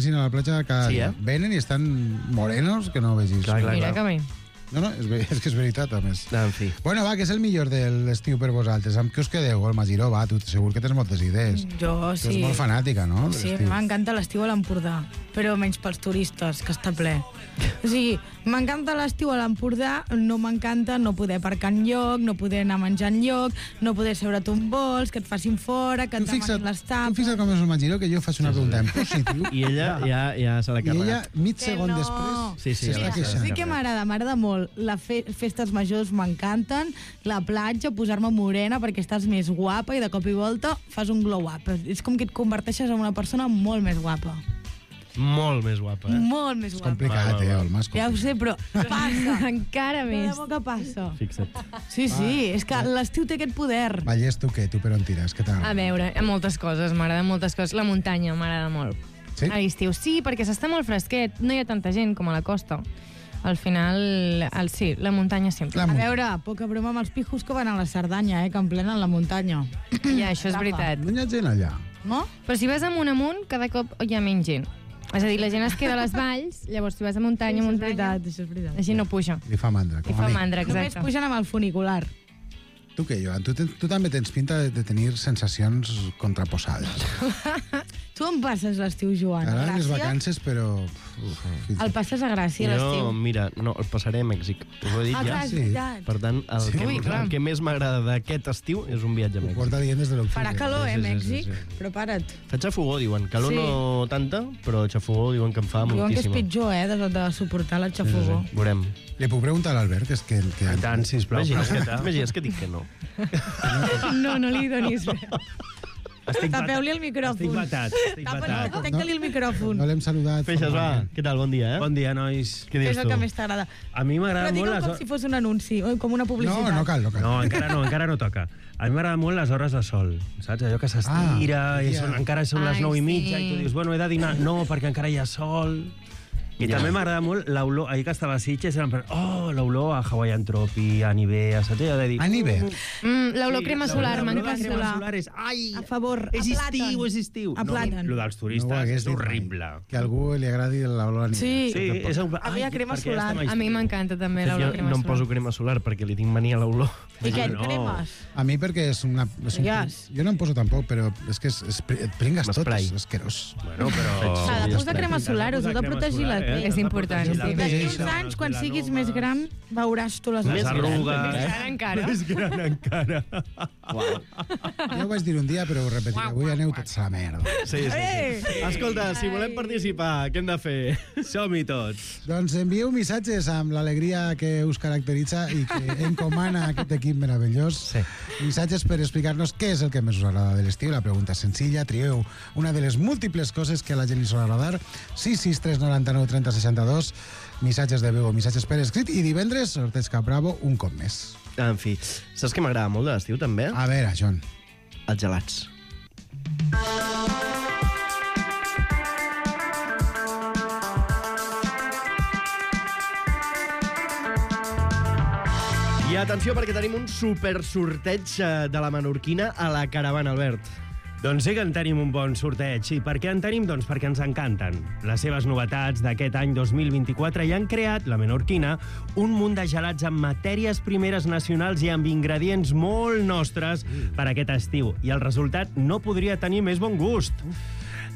anessin a la platja cada dia. Venen i estan morenos que no vegis. Mira que bé. No, és que és veritat, a més. En fi. Bueno, va, que és el millor de l'estiu per vosaltres. Amb què us quedeu? El Magiró, va, tu segur que tens moltes idees. Jo sí. Tu ets molt fanàtica, no? Sí, m'encanta l'estiu a l'Empordà, però menys pels turistes, que està ple. O sigui, m'encanta l'estiu a l'Empordà, no m'encanta no poder aparcar enlloc, no poder anar a menjar enlloc, no poder seure't un bols, que et facin fora, que et demanin les tapes... Tu fixa't com és el Magiró, que jo faig una pregunta en positiu. I ella ja se l'ha I carregat. ella, mig segon després, s'està queixant. Sí que m'agrada molt. Les festes majors m'encanten, la platja, posar-me morena perquè estàs més guapa i de cop i volta fas un glow up. És com que et converteixes en una persona molt més guapa. Molt més guapa, Molt més guapa. És complicat, el mas. Ja ho sé, però passa. Encara més. De debò que passa. Fixa't. Sí, és que l'estiu té aquest poder. Vallès, tu què? Tu per on tires? Què t'agrada? A veure, moltes coses, m'agraden moltes coses. La muntanya m'agrada molt. Sí? A l'estiu sí, perquè s'està molt fresquet, no hi ha tanta gent com a la costa. Al final, sí, la muntanya sempre. A veure, poca broma amb els pijos que van a la Cerdanya, que emplenen la muntanya. Ja, això és veritat. No hi ha gent allà. No? Però si vas amunt, cada cop hi ha menys gent. És a dir, la gent es queda a les valls, llavors si vas a muntanya, Això és veritat. així no puja. Li fa mandra. Li fa mandra, Només exacte. pugen amb el funicular. Tu què, Joan? Tu també tens pinta de tenir sensacions contraposades. Tu on passes l'estiu, Joan? Ara les Gràcia? vacances, però... El passes a Gràcia, l'estiu. No, mira, el passaré a Mèxic. Us ho he dit ja. clar, és veritat. Per tant, el que més m'agrada d'aquest estiu és un viatge a Ho Mèxic. porta dient des de l'octubre. Farà calor, Mèxic? Sí. Prepara't. Fa xafogó, diuen. Calor Sí. no tanta, però xafogó diuen que em fa Diuen que és moltíssima. pitjor, de suportar la xafogó. Veurem. Li puc preguntar a l'Albert, que és que... Tant, sisplau, Imagines que dic que no. No li donis res. Estic Tapeu-li el micròfon. Estic batat. Tanca-li el micròfon. No l'hem saludat. Feixes, va. Què tal? Bon dia, Bon dia, nois. Què Què dius és el tu? que més t'agrada? A mi m'agrada Però molt digue'm com si fos un anunci, o com una publicitat. No cal. No, encara no toca. A mi m'agrada molt les hores de sol, saps? Allò que s'estira, encara són les 9:30 i tu dius, bueno, he de dinar. No, perquè encara hi ha sol. I també m'agrada molt l'olor, ahir que estava a Sitges, l'olor a Hawaiian Tropi, a Nivea, saps? Allò de dir... A Nivea? L'olor crema solar, m'encanta. Crema solar és... Ai, A favor, és a plàtan. estiu, és estiu. A plàtan. Lo dels turistes és horrible. Que a algú li agradi l'olor a Nivea. Sí. Sí, és un... A mi hi ha crema solar. A mi m'encanta també l'olor Jo crema no em solar. poso crema solar perquè li tinc mania a l'olor. I què, et No. cremes? A mi perquè és una... Jo no em poso tampoc, però és que et pringues tot, M'esprai. és asquerós. Bueno, però... S'ha de posar crema solar, us heu de protegir la pell. És important, sí. D'aquí uns anys, quan siguis més gran, veuràs tu les Les arrugues... Ara encara. Més gran encara. Jo ho vaig dir un dia, però ho repetiré. Avui aneu tots a la merda. Sí. Escolta, si volem participar, què hem de fer? Som-hi tots. Doncs envieu missatges amb l'alegria que us caracteritza i que encomana aquest equip meravellós. Sí. Missatges per explicar-nos què és el que més us agrada de l'estiu. La pregunta és senzilla. Trieu una de les múltiples coses que a la gent li sol agradar. 663 99 30 62. Missatges de veu o missatges per escrit. I divendres, sorteig Cap Bravo, un cop més. En fi, saps què m'agrada molt de l'estiu, també? A veure, Joan. Els gelats. I atenció, perquè tenim un super sorteig de la menorquina a la caravana, Albert. Doncs sí que en tenim un bon sorteig. I per què en tenim? Doncs perquè ens encanten. Les seves novetats d'aquest any 2024 i han creat, la menorquina, un munt de gelats amb matèries primeres nacionals i amb ingredients molt nostres per aquest estiu. I el resultat no podria tenir més bon gust.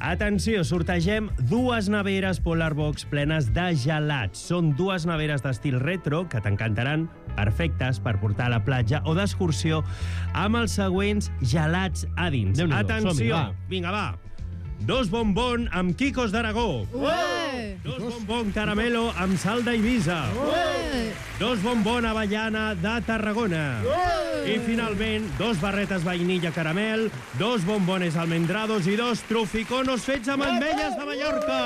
Atenció, sortegem 2 neveres Polar Box plenes de gelats. Són 2 neveres d'estil retro que t'encantaran, perfectes per portar a la platja o d'excursió amb els següents gelats a dins. Déu-n'hi-do, Atenció, som-hi, va. vinga, va. 2 bombon amb quicos d'Aragó. 2 bombon caramelo amb sal d'Eivissa. 2 bombon avellana de Tarragona. I finalment, 2 barretes vainilla caramel, 2 bombones almendrados i 2 truficonos fets amb ametlles de Mallorca.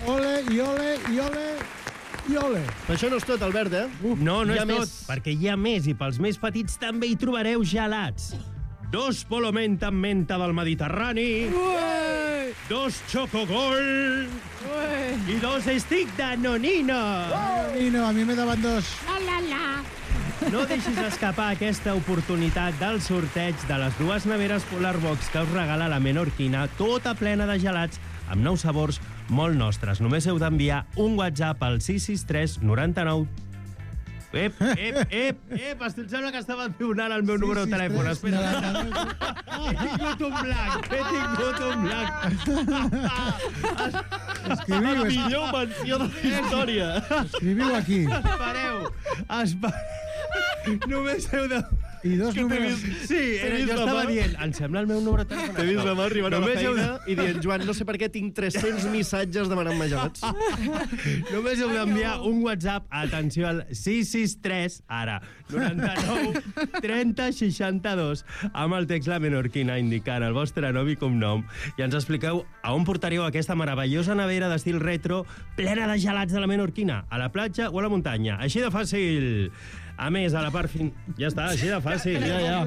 Ole, i ole, i ole, i ole. Però això no és tot, Albert, eh? No Hi és ha tot, més. perquè hi ha més i pels més petits també hi trobareu gelats. 2 polomenta amb menta del Mediterrani, 2 chocogol i 2 stick de nonina. Nino, a mi me daban 2. No deixis escapar aquesta oportunitat del sorteig de les 2 neveres Polar Box que us regala la menorquina, tota plena de gelats amb nous sabors molt nostres. Només heu d'enviar un WhatsApp al 663 99... Ep, em sembla que estava donant el meu número de telèfon. Espera. He tingut un blanc. Escriviu, La millor menció de la història. escriviu aquí. Espereu. Només heu de... I dos números... Sí, jo estava dient, em sembla el meu número de telèfon. T'he vist la mà arribant a la Només heu feina i dient, Joan, no sé per què tinc 300 missatges demanant-me gelats. Només heu d'enviar un WhatsApp, atenció, al 663, ara, 99 30 62, amb el text La Menorquina, indicant el vostre nom i cognom, i ens expliqueu a on portaríeu aquesta meravellosa nevera d'estil retro plena de gelats de la Menorquina, a la platja o a la muntanya. Així de fàcil. A més, a la part Ja està, així de fàcil. Ja.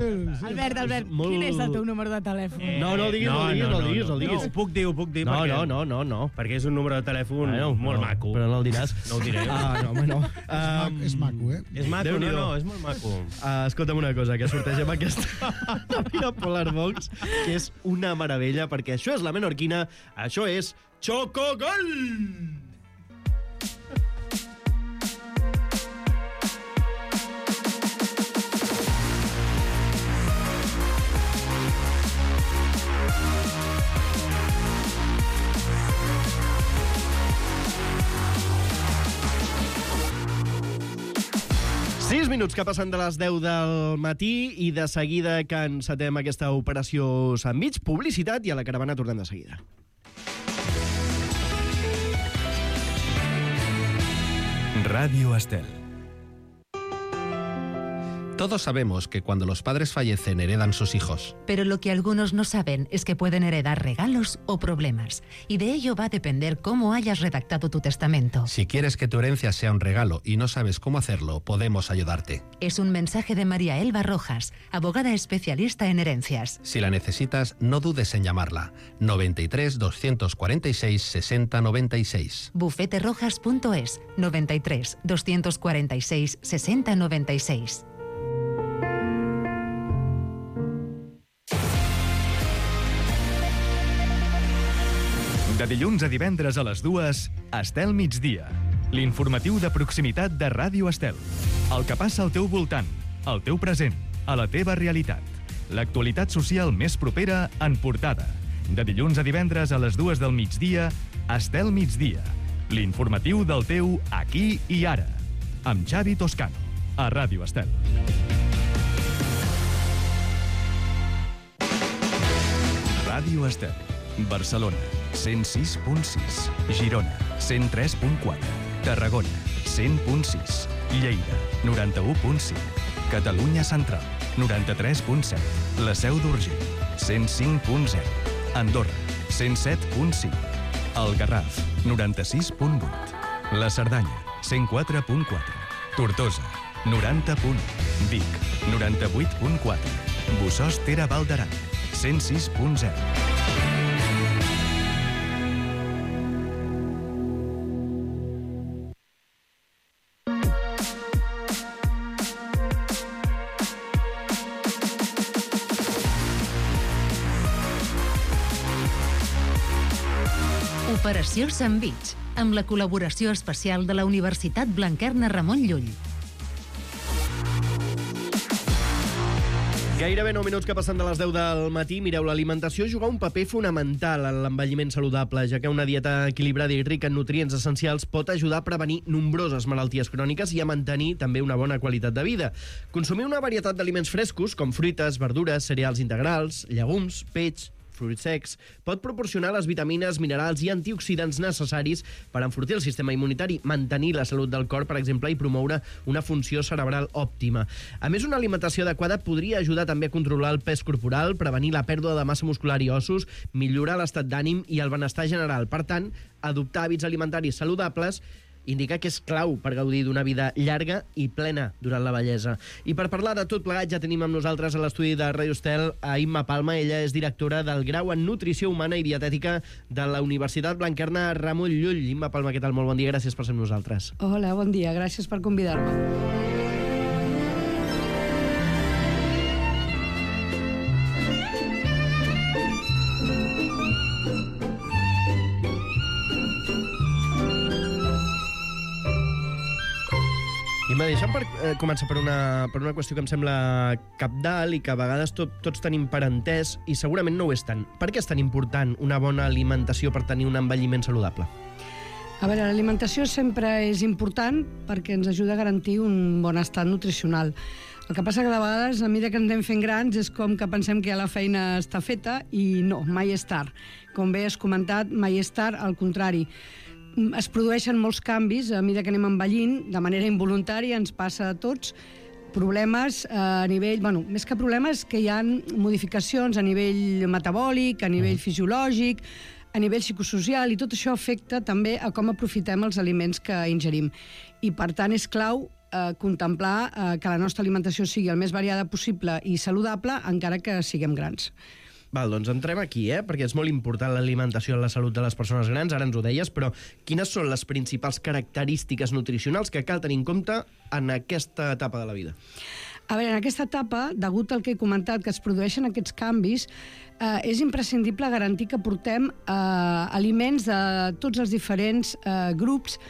Albert, quin és el teu número de telèfon? No, el diguis. Ho puc dir. No. Perquè és un número de telèfon molt maco. Però no el diràs. No ho diré. No. És maco, eh? És maco, Déu-n'hi-do. no, és molt maco. Escolta'm una cosa, que sortegem aquesta Navia Polar Box, que és una meravella, perquè això és la Menorquina, això és Chocogol! Minuts que passen de les 10 del matí i de seguida que encetem aquesta operació sandwich, publicitat, i a la caravana tornem de seguida. Radio Estel. Todos sabemos que cuando los padres fallecen heredan sus hijos. Pero lo que algunos no saben es que pueden heredar regalos o problemas. Y de ello va a depender cómo hayas redactado tu testamento. Si quieres que tu herencia sea un regalo y no sabes cómo hacerlo, podemos ayudarte. Es un mensaje de María Elba Rojas, abogada especialista en herencias. Si la necesitas, no dudes en llamarla. 93 246 60 96. Bufeterojas.es 93 246 60 96. De dilluns a divendres a les 2, Estel Migdia. L'informatiu de proximitat de Ràdio Estel. El que passa al teu voltant, al teu present, a la teva realitat. L'actualitat social més propera en portada. De dilluns a divendres a les 2 del migdia, Estel Migdia. L'informatiu del teu aquí i ara. Amb Xavi Toscano, a Ràdio Estel. Ràdio Estel. Barcelona, 106.6. Girona, 103.4. Tarragona, 100.6. Lleida, 91.5. Catalunya Central, 93.7. La Seu d'Urgell, 105.0. Andorra, 107.5. El Garraf, 96.8. La Cerdanya, 104.4. Tortosa, 90.1. Vic, 98.4. Bossòst Ter Val d'Aran, 106.0. Operació Sandwich, amb la col·laboració especial de la Universitat Blanquerna Ramon Llull. Gairebé 9 minuts que passen de les 10 del matí. Mireu, l'alimentació juga un paper fonamental en l'envelliment saludable, ja que una dieta equilibrada i rica en nutrients essencials pot ajudar a prevenir nombroses malalties cròniques i a mantenir també una bona qualitat de vida. Consumir una varietat d'aliments frescos, com fruites, verdures, cereals integrals, llegums, peix, fruits secs, pot proporcionar les vitamines, minerals i antioxidants necessaris per enfortir el sistema immunitari, mantenir la salut del cor, per exemple, i promoure una funció cerebral òptima. A més, una alimentació adequada podria ajudar també a controlar el pes corporal, prevenir la pèrdua de massa muscular i ossos, millorar l'estat d'ànim i el benestar general. Per tant, adoptar hàbits alimentaris saludables indica que és clau per gaudir d'una vida llarga i plena durant la vellesa. I per parlar de tot plegat ja tenim amb nosaltres a l'estudi de Radio Estel a Imma Palma. Ella és directora del grau en Nutrició Humana i Dietètica de la Universitat Blanquerna Ramon Llull. Imma Palma, què tal? Molt bon dia, gràcies per ser amb nosaltres. Hola, bon dia, gràcies per convidar-me. Deixa'm començar per una qüestió que em sembla cabdal i que a vegades tots tenim per entès i segurament no ho és tant. Per què és tan important una bona alimentació per tenir un envelliment saludable? A veure, l'alimentació sempre és important perquè ens ajuda a garantir un bon estat nutricional. El que passa que de vegades, a mesura que ens anem fent grans, és com que pensem que ja la feina està feta i no, mai és tard. Com bé has comentat, mai és tard, al contrari. Es produeixen molts canvis a mesura que anem envellint, de manera involuntària, ens passa a tots, problemes a nivell... Bueno, més que problemes, que hi ha modificacions a nivell metabòlic, a nivell fisiològic, a nivell psicosocial, i tot això afecta també a com aprofitem els aliments que ingerim. I, per tant, és clau contemplar que la nostra alimentació sigui el més variada possible i saludable, encara que siguem grans. Val, doncs entrem aquí, perquè és molt important l'alimentació en la salut de les persones grans, ara ens ho deies, però quines són les principals característiques nutricionals que cal tenir en compte en aquesta etapa de la vida? A veure, en aquesta etapa, degut al que he comentat, que es produeixen aquests canvis, és imprescindible garantir que portem aliments de tots els diferents grups,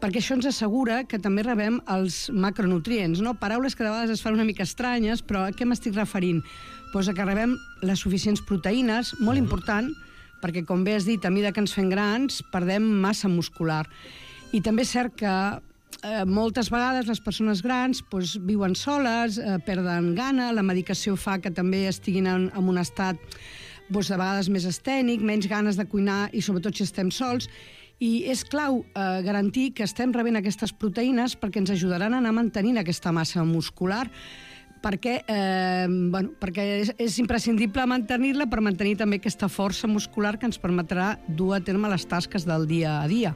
perquè això ens assegura que també rebem els macronutrients, no? Paraules que de vegades es fan una mica estranyes, però a què m'estic referint? Pues a que rebem les suficients proteïnes, molt important, perquè, com bé has dit, a mesura que ens fem grans, perdem massa muscular. I també és cert que moltes vegades les persones grans viuen soles, perden gana, la medicació fa que també estiguin en un estat de vegades més estènic, menys ganes de cuinar i sobretot si estem sols. I és clau garantir que estem rebent aquestes proteïnes perquè ens ajudaran a anar mantenint aquesta massa muscular, perquè és imprescindible mantenir-la per mantenir també aquesta força muscular que ens permetrà dur a terme les tasques del dia a dia.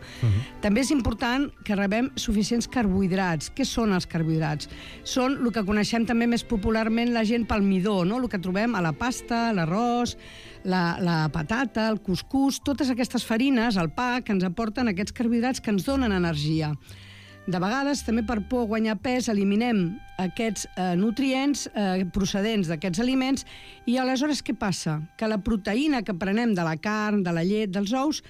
També és important que rebem suficients carbohidrats. Què són els carbohidrats? Són el que coneixem també més popularment la gent pel midó, no? El que trobem a la pasta, l'arròs, la patata, el cuscús, totes aquestes farines, el pa, que ens aporten aquests carbohidrats que ens donen energia. De vegades, també per por a guanyar pes, eliminem aquests nutrients procedents d'aquests aliments i aleshores què passa? Que la proteïna que prenem de la carn, de la llet, dels ous,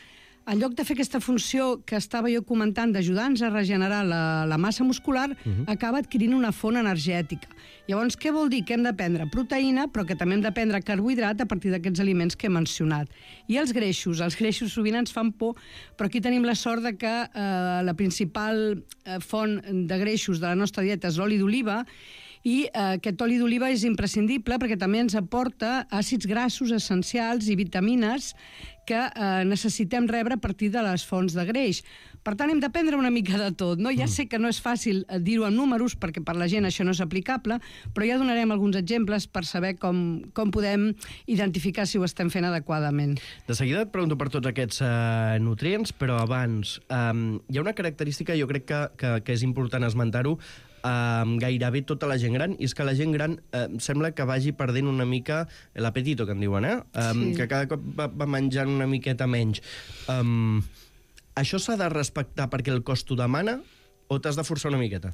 en lloc de fer aquesta funció que estava jo comentant d'ajudar-nos a regenerar la massa muscular, acaba adquirint una font energètica. Llavors, què vol dir? Que hem de prendre proteïna, però que també hem de prendre carbohidrat a partir d'aquests aliments que he mencionat. I els greixos sovint ens fan por, però aquí tenim la sort de que la principal font de greixos de la nostra dieta és l'oli d'oliva, i aquest oli d'oliva és imprescindible perquè també ens aporta àcids grassos essencials i vitamines que necessitem rebre a partir de les fonts de greix. Per tant, hem d'aprendre una mica de tot, no? Ja sé que no és fàcil dir-ho en números, perquè per la gent això no és aplicable, però ja donarem alguns exemples per saber com podem identificar si ho estem fent adequadament. De seguida et pregunto per tots aquests nutrients, però abans hi ha una característica, jo crec que és important esmentar-ho, gairebé tota la gent gran, i és que la gent gran sembla que vagi perdent una mica l'apetito, que en diuen, sí. Que cada cop va menjant una miqueta menys. Això s'ha de respectar perquè el cos t'ho demana o t'has de forçar una miqueta?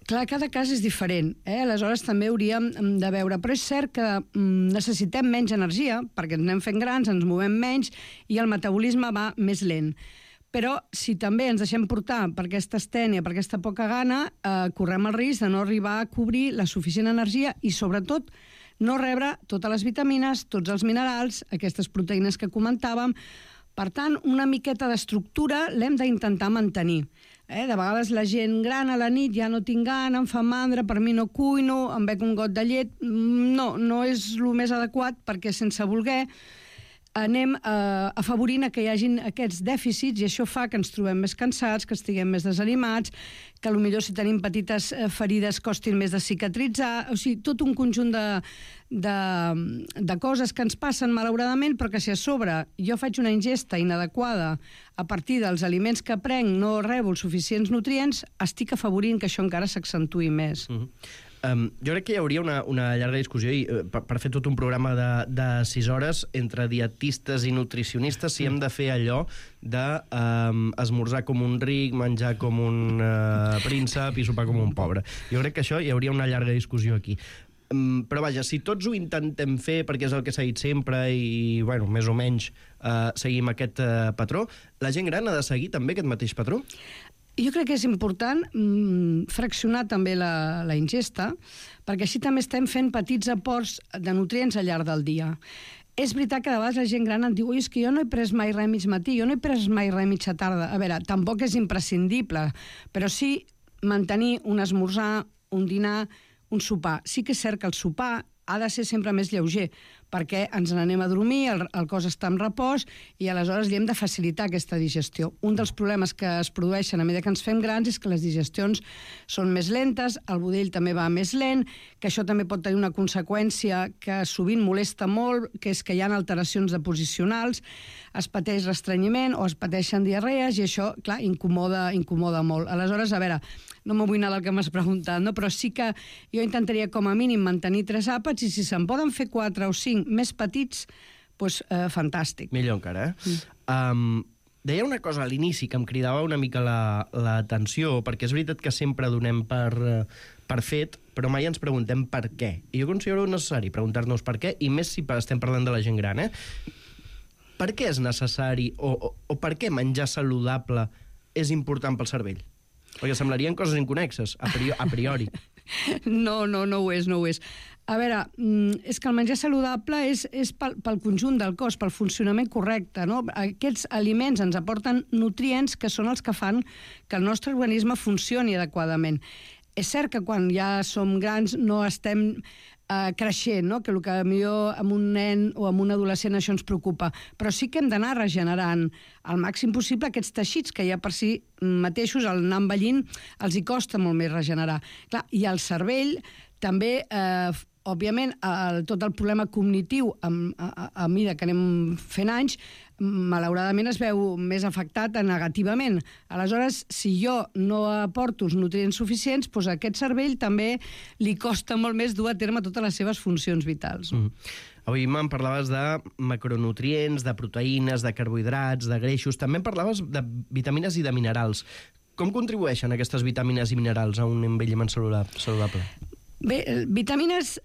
Clar, cada cas és diferent, aleshores també hauríem de veure, però és cert que necessitem menys energia, perquè ens anem fent grans, ens movem menys i el metabolisme va més lent. Però si també ens deixem portar per aquesta estènia, per aquesta poca gana, correm el risc de no arribar a cobrir la suficient energia i, sobretot, no rebre totes les vitamines, tots els minerals, aquestes proteïnes que comentàvem. Per tant, una miqueta d'estructura l'hem d'intentar mantenir. De vegades la gent gran a la nit ja no tinc gana, em fa mandra, per mi no cuino, em bec un got de llet. No és el més adequat perquè sense voler anem afavorint que hi hagin aquests dèficits i això fa que ens trobem més cansats, que estiguem més desanimats, que potser si tenim petites ferides costin més de cicatritzar, o sigui, tot un conjunt de coses que ens passen malauradament, però que si a sobre jo faig una ingesta inadequada a partir dels aliments que prenc, no rebo els suficients nutrients, estic afavorint que això encara s'accentui més. Jo crec que hi hauria una llarga discussió i per fer tot un programa de 6 hores entre dietistes i nutricionistes si hem de fer allò d'esmorzar com un ric, menjar com un príncep i sopar com un pobre. Jo crec que això hi hauria una llarga discussió aquí. Però vaja, si tots ho intentem fer perquè és el que s'ha dit sempre i, bueno, més o menys seguim aquest patró, la gent gran ha de seguir també aquest mateix patró? Jo crec que és important fraccionar també la ingesta, perquè així també estem fent petits aports de nutrients al llarg del dia. És veritat que de vegades la gent gran em diu és que jo no he pres mai res mig matí, jo no he pres mai res mitja tarda. A veure, tampoc és imprescindible, però sí mantenir un esmorzar, un dinar, un sopar. Sí que és cert que el sopar ha de ser sempre més lleuger, perquè ens n'anem a dormir, el cos està en repòs i aleshores li hem de facilitar aquesta digestió. Un dels problemes que es produeixen a mesura que ens fem grans és que les digestions són més lentes, el budell també va més lent, que això també pot tenir una conseqüència que sovint molesta molt, que és que hi ha alteracions deposicionals, es pateix restrenyiment o es pateixen diarrees i això, clar, incomoda molt. Aleshores, a veure, no m'ho vull anar del que m'has preguntat, no? Però sí que jo intentaria com a mínim mantenir 3 àpats i si se'n poden fer 4 o 5 més petits, doncs fantàstic. Millor encara, deia una cosa a l'inici que em cridava una mica l'atenció, perquè és veritat que sempre donem per fet, però mai ens preguntem per què. I jo considero necessari preguntar-nos per què, i més si estem parlant de la gent gran, Per què és necessari o per què menjar saludable és important pel cervell? Perquè semblarien coses inconnexes, a priori. No ho és. A veure, és que el menjar saludable és pel conjunt del cos, pel funcionament correcte, no? Aquests aliments ens aporten nutrients que són els que fan que el nostre organisme funcioni adequadament. És cert que quan ja som grans no estem creixent, no? Que el que millor amb un nen o amb un adolescent això ens preocupa, però sí que hem d'anar regenerant al màxim possible aquests teixits que ja per si mateixos, al anar envellint, els hi costa molt més regenerar. Clar, i el cervell també, òbviament, tot el problema cognitiu a mesura que anem fent anys, malauradament es veu més afectat negativament. Aleshores, si jo no aporto els nutrients suficients, doncs a aquest cervell també li costa molt més dur a terme totes les seves funcions vitals. Avui me'n parlaves de macronutrients, de proteïnes, de carbohidrats, de greixos. També em parlaves de vitamines i de minerals. Com contribueixen aquestes vitamines i minerals a un envelliment saludable? Bé, vitamines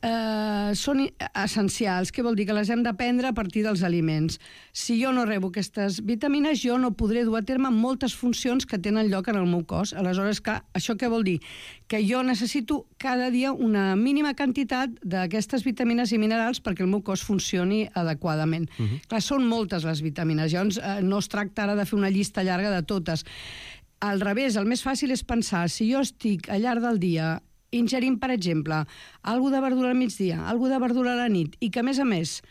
són essencials. Què vol dir? Que les hem de prendre a partir dels aliments. Si jo no rebo aquestes vitamines, jo no podré dur a terme moltes funcions que tenen lloc en el meu cos. Aleshores, això què vol dir? Que jo necessito cada dia una mínima quantitat d'aquestes vitamines i minerals perquè el meu cos funcioni adequadament. Clar, són moltes les vitamines. Llavors, no es tracta ara de fer una llista llarga de totes. Al revés, el més fàcil és pensar, si jo estic al llarg del dia ingerint, per exemple, alguna de verdura al migdia, alguna de verdura a la nit, i que, a més,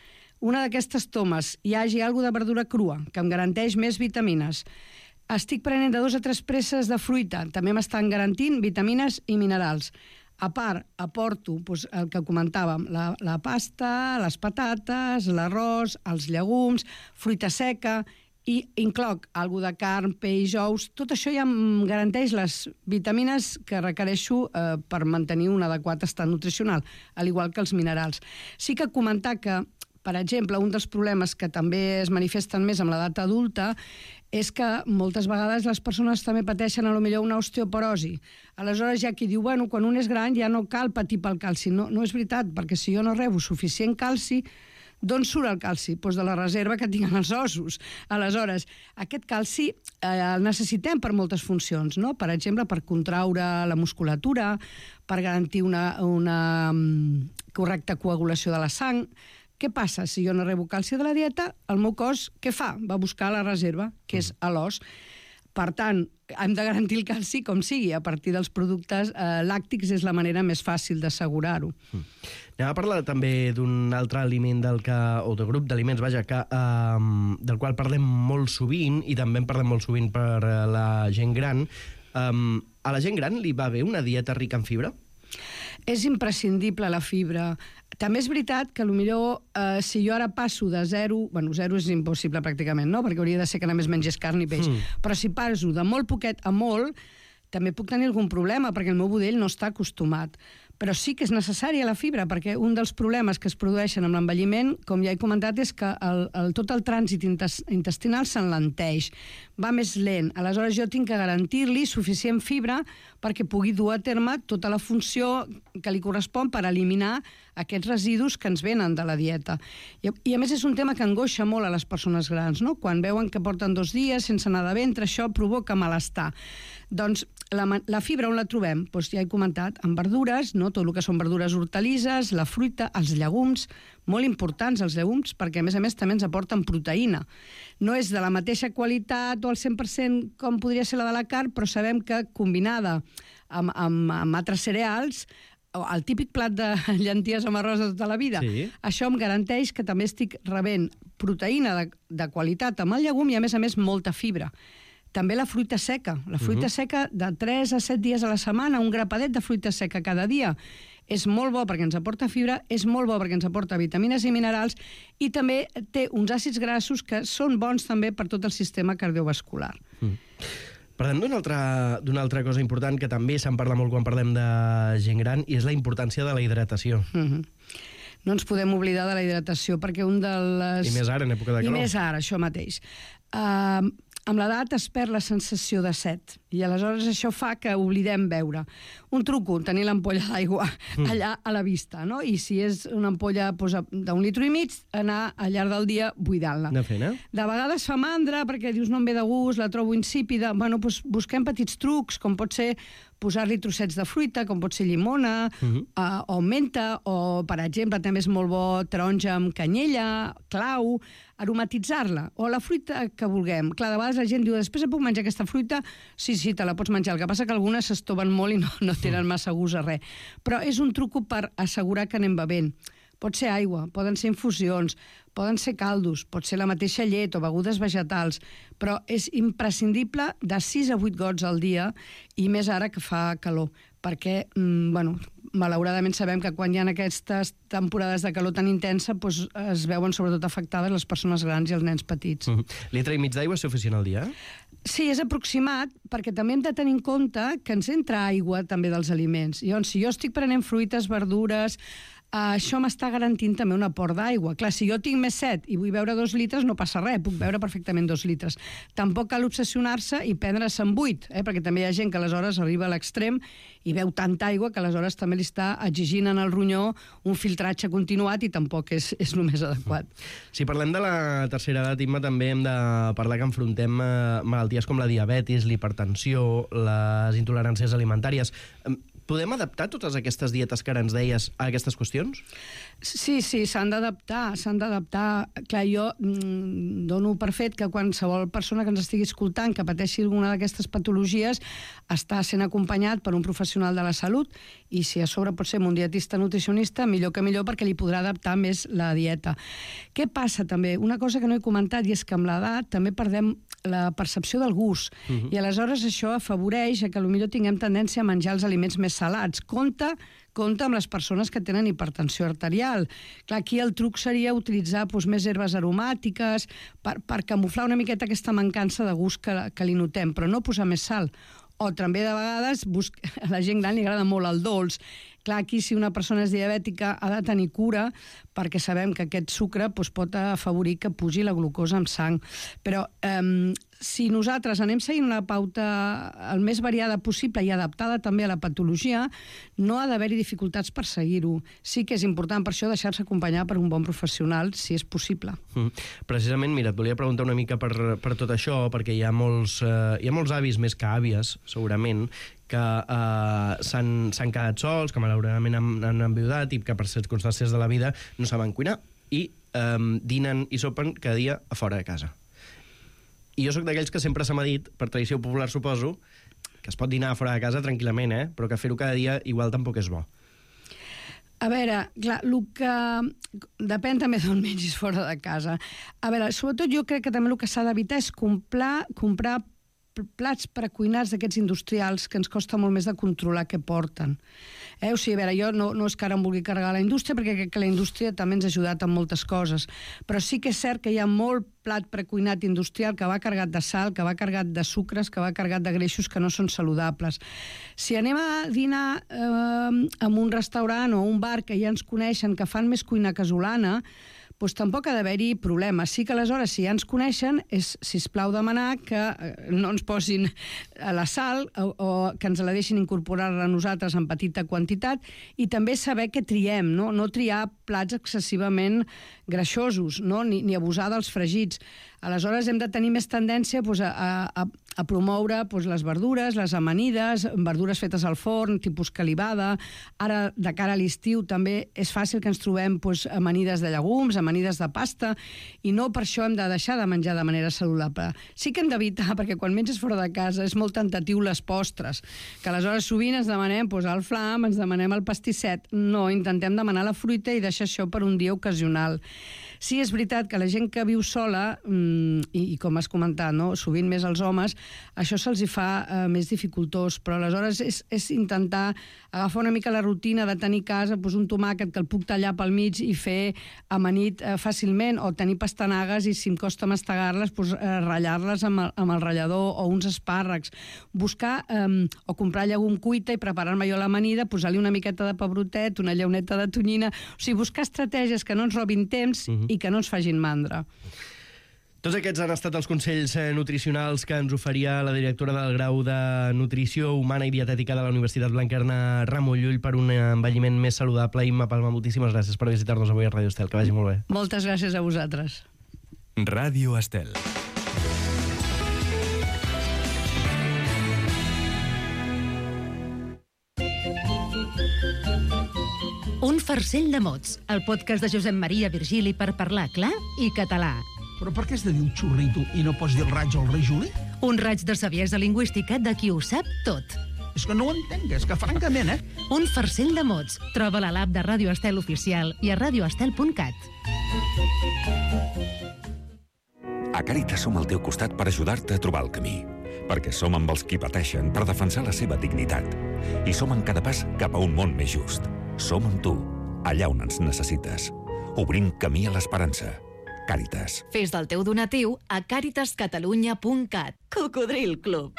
una d'aquestes tomes hi hagi alguna de verdura crua, que em garanteix més vitamines, estic prenent de 2 a 3 presses de fruita, també m'estan garantint vitamines i minerals. A part, aporto el que comentàvem, la pasta, les patates, l'arròs, els llegums, fruita seca, i incloc alguna de carn, peix, ous, tot això ja em garanteix les vitamines que requereixo per mantenir un adequat estat nutricional, al igual que els minerals. Sí que comentar que, per exemple, un dels problemes que també es manifesten més amb l'edat adulta és que moltes vegades les persones també pateixen potser una osteoporosi. Aleshores hi ha qui diu, bueno, quan un és gran ja no cal patir pel calci. No és veritat, perquè si jo no rebo suficient calci, d'on surt el calci? Doncs de la reserva que tinc els ossos. Aleshores, aquest calci el necessitem per moltes funcions, no? Per exemple, per contraure la musculatura, per garantir una correcta coagulació de la sang. Què passa? Si jo no rebo calci de la dieta, el meu cos què fa? Va buscar la reserva, que és a l'os. Per tant, hem de garantir el calci com sigui. A partir dels productes làctics és la manera més fàcil d'assegurar-ho. Anem a parlar també d'un altre aliment o de grup d'aliments, del qual parlem molt sovint, i també en parlem molt sovint per la gent gran. A la gent gran li va bé una dieta rica en fibra? És imprescindible la fibra. També és veritat que potser si jo ara passo de 0, bueno, 0 és impossible pràcticament, no? Perquè hauria de ser que només mengés carn i peix, però si passo de molt poquet a molt, també puc tenir algun problema, perquè el meu budell no està acostumat. però sí que és necessària la fibra, perquè un dels problemes que es produeixen amb l'envelliment, com ja he comentat, és que tot el trànsit intestinal s'enlenteix, va més lent. Aleshores jo tinc que garantir-li suficient fibra perquè pugui dur a terme tota la funció que li correspon per eliminar aquests residus que ens venen de la dieta. I a més és un tema que angoixa molt a les persones grans, no? Quan veuen que porten 2 dies sense anar de ventre, això provoca malestar. Doncs la fibra on la trobem? Doncs ja he comentat, en verdures, no? Tot el que són verdures hortalisses, la fruita, els llegums, molt importants els llegums, perquè a més també ens aporten proteïna. No és de la mateixa qualitat o al 100% com podria ser la de la carn, però sabem que combinada amb altres cereals, el típic plat de llenties amb arròs de tota la vida, sí. Això em garanteix que també estic rebent proteïna de qualitat amb el llegum i, a més, molta fibra. També la fruita seca. La fruita seca de 3 a 7 dies a la setmana, un grapadet de fruita seca cada dia. És molt bo perquè ens aporta fibra, és molt bo perquè ens aporta vitamines i minerals i també té uns àcids grassos que són bons també per tot el sistema cardiovascular. Parlem d'una altra cosa important que també se'n parla molt quan parlem de gent gran i és la importància de la hidratació. No ens podem oblidar de la hidratació perquè un de les... I més ara, en època de calor. I més ara, això mateix. Amb l'edat es perd la sensació de set i aleshores això fa que oblidem beure. Un truco, tenir l'ampolla d'aigua allà a la vista, no? I si és una ampolla d'1,5 litres, anar al llarg del dia buidant-la. Anar fent, De vegades fa mandra perquè dius no em ve de gust, la trobo insípida. Bueno, doncs busquem petits trucs, com pot ser posar-li trossets de fruita, com pot ser llimona, o menta, o, per exemple, també és molt bo taronja amb canyella, clau, aromatitzar-la, o la fruita que vulguem. Clar, de vegades la gent diu, després puc menjar aquesta fruita? Sí, te la pots menjar. El que passa que algunes s'estoven molt i no tenen massa gust a res. Però és un truco per assegurar que anem bevent. Pot ser aigua, poden ser infusions, poden ser caldos, pot ser la mateixa llet o begudes vegetals, però és imprescindible de 6 a 8 gots al dia i més ara que fa calor, perquè, malauradament sabem que quan hi ha aquestes temporades de calor tan intensa es veuen sobretot afectades les persones grans i els nens petits. Litre i mig d'aigua és suficient al dia? Sí, és aproximat, perquè també hem de tenir en compte que ens entra aigua també dels aliments. Llavors, si jo estic prenent fruites, verdures, això m'està garantint també un aport d'aigua. Clar, si jo tinc més set i vull beure 2 litres, no passa res, puc beure perfectament 2 litres. Tampoc cal obsessionar-se i prendre-se'n 8, perquè també hi ha gent que aleshores arriba a l'extrem i beu tanta aigua que aleshores també li està exigint en el ronyó un filtratge continuat i tampoc és el més adequat. Si parlem de la tercera edat, Imma, també hem de parlar que enfrontem malalties com la diabetis, l'hipertensió, les intoleràncies alimentàries. Podem adaptar totes aquestes dietes que ara ens deies a aquestes qüestions? Sí, s'han d'adaptar, Clar, jo dono per fet que qualsevol persona que ens estigui escoltant que pateixi alguna d'aquestes patologies està sent acompanyat per un professional de la salut i si a sobre pot ser un dietista nutricionista, millor que millor perquè li podrà adaptar més la dieta. Què passa també? Una cosa que no he comentat i és que amb l'edat també perdem la percepció del gust i aleshores això afavoreix que potser tinguem tendència a menjar els aliments més salats. Compte amb les persones que tenen hipertensió arterial. Clar, aquí el truc seria utilitzar més herbes aromàtiques per camuflar una miqueta aquesta mancança de gust que li notem, però no posar més sal. O també de vegades a la gent gran li agrada molt el dolç. Clar, aquí si una persona és diabètica ha de tenir cura perquè sabem que aquest sucre pot afavorir que pugi la glucosa en sang. Però si nosaltres anem seguint una pauta el més variada possible i adaptada també a la patologia, no ha d'haver-hi dificultats per seguir-ho. Sí que és important per això deixar-se acompanyar per un bon professional, si és possible. Precisament, mira, et volia preguntar una mica per tot això, perquè hi ha molts avis més que àvies, segurament, que s'han quedat sols, que malauradament han enviudat i que per circumstàncies de la vida no saben cuinar i dinen i sopen cada dia a fora de casa. I jo sóc d'aquells que sempre se m'ha dit, per tradició popular suposo, que es pot dinar fora de casa tranquil·lament, però que fer-ho cada dia igual tampoc és bo. A veure, clar, el que... Depèn també d'on mengis fora de casa. A veure, sobretot jo crec que també el que s'ha d'evitar és comprar plats precuinats d'aquests industrials que ens costa molt més de controlar què porten. O sigui, a veure, jo no és que ara em vulgui carregar la indústria, perquè crec que la indústria també ens ha ajudat en moltes coses, però sí que és cert que hi ha molt plat precuinat industrial que va carregat de sal, que va carregat de sucres, que va carregat de greixos que no són saludables. Si anem a dinar en un restaurant o un bar que ja ens coneixen, que fan més cuina casolana, doncs tampoc ha d'haver-hi problemes. Sí que aleshores, si ja ens coneixen, és, sisplau, demanar que no ens posin la sal o que ens la deixin incorporar-la a nosaltres en petita quantitat, i també saber què triem, no triar plats excessivament greixosos, ni abusar dels fregits. Aleshores hem de tenir més tendència a promoure les verdures, les amanides, verdures fetes al forn, tipus calibada. Ara, de cara a l'estiu, també és fàcil que ens trobem amanides de llegums, amanides de pasta, i no per això hem de deixar de menjar de manera saludable. Sí que hem d'evitar, perquè quan menges fora de casa és molt tentatiu les postres, que aleshores sovint ens demanem el flam, ens demanem el pastisset. No, intentem demanar la fruita i deixar això per un dia ocasional. Sí, és veritat que la gent que viu sola, i com has comentat, sovint més els homes, això se'ls fa més dificultós, però aleshores és intentar agafar una mica la rutina de tenir a casa un tomàquet que el puc tallar pel mig i fer amanit fàcilment, o tenir pastanagues i, si em costa mastegar-les, ratllar-les amb el ratllador, o uns espàrrecs. Buscar o comprar llegum cuita i preparar-me jo l'amanida, posar-li una miqueta de pebrotet, una llauneta de tonyina. O sigui, buscar estratègies que no ens robin temps i que no ens facin mandra. Tots aquests han estat els consells nutricionals que ens oferia la directora del grau de Nutrició Humana i Dietètica de la Universitat Blanquerna, Ramon Llull, per un envelliment més saludable. Imma Palma, moltíssimes gràcies per visitar-nos avui a Ràdio Estel. Que vagi molt bé. Moltes gràcies a vosaltres. Ràdio Estel. Un farcell de mots, el podcast de Josep Maria Virgili per parlar clar i català. Però per què has de dir el xurrito i no pots dir el raig o el rei Juli? Un raig de saviesa lingüística de qui ho sap tot. És que no ho entenc, és que francament, Un farcell de mots. Troba-la a l'app de Ràdio Estel Oficial i a radioestel.cat. A Càritas som al teu costat per ajudar-te a trobar el camí. Perquè som amb els qui pateixen per defensar la seva dignitat. I som en cada pas cap a un món més just. Som amb tu, allà on ens necessites. Obrim camí a l'esperança. Càritas. Fes del teu donatiu a caritascatalunya.cat. Cocodril Club.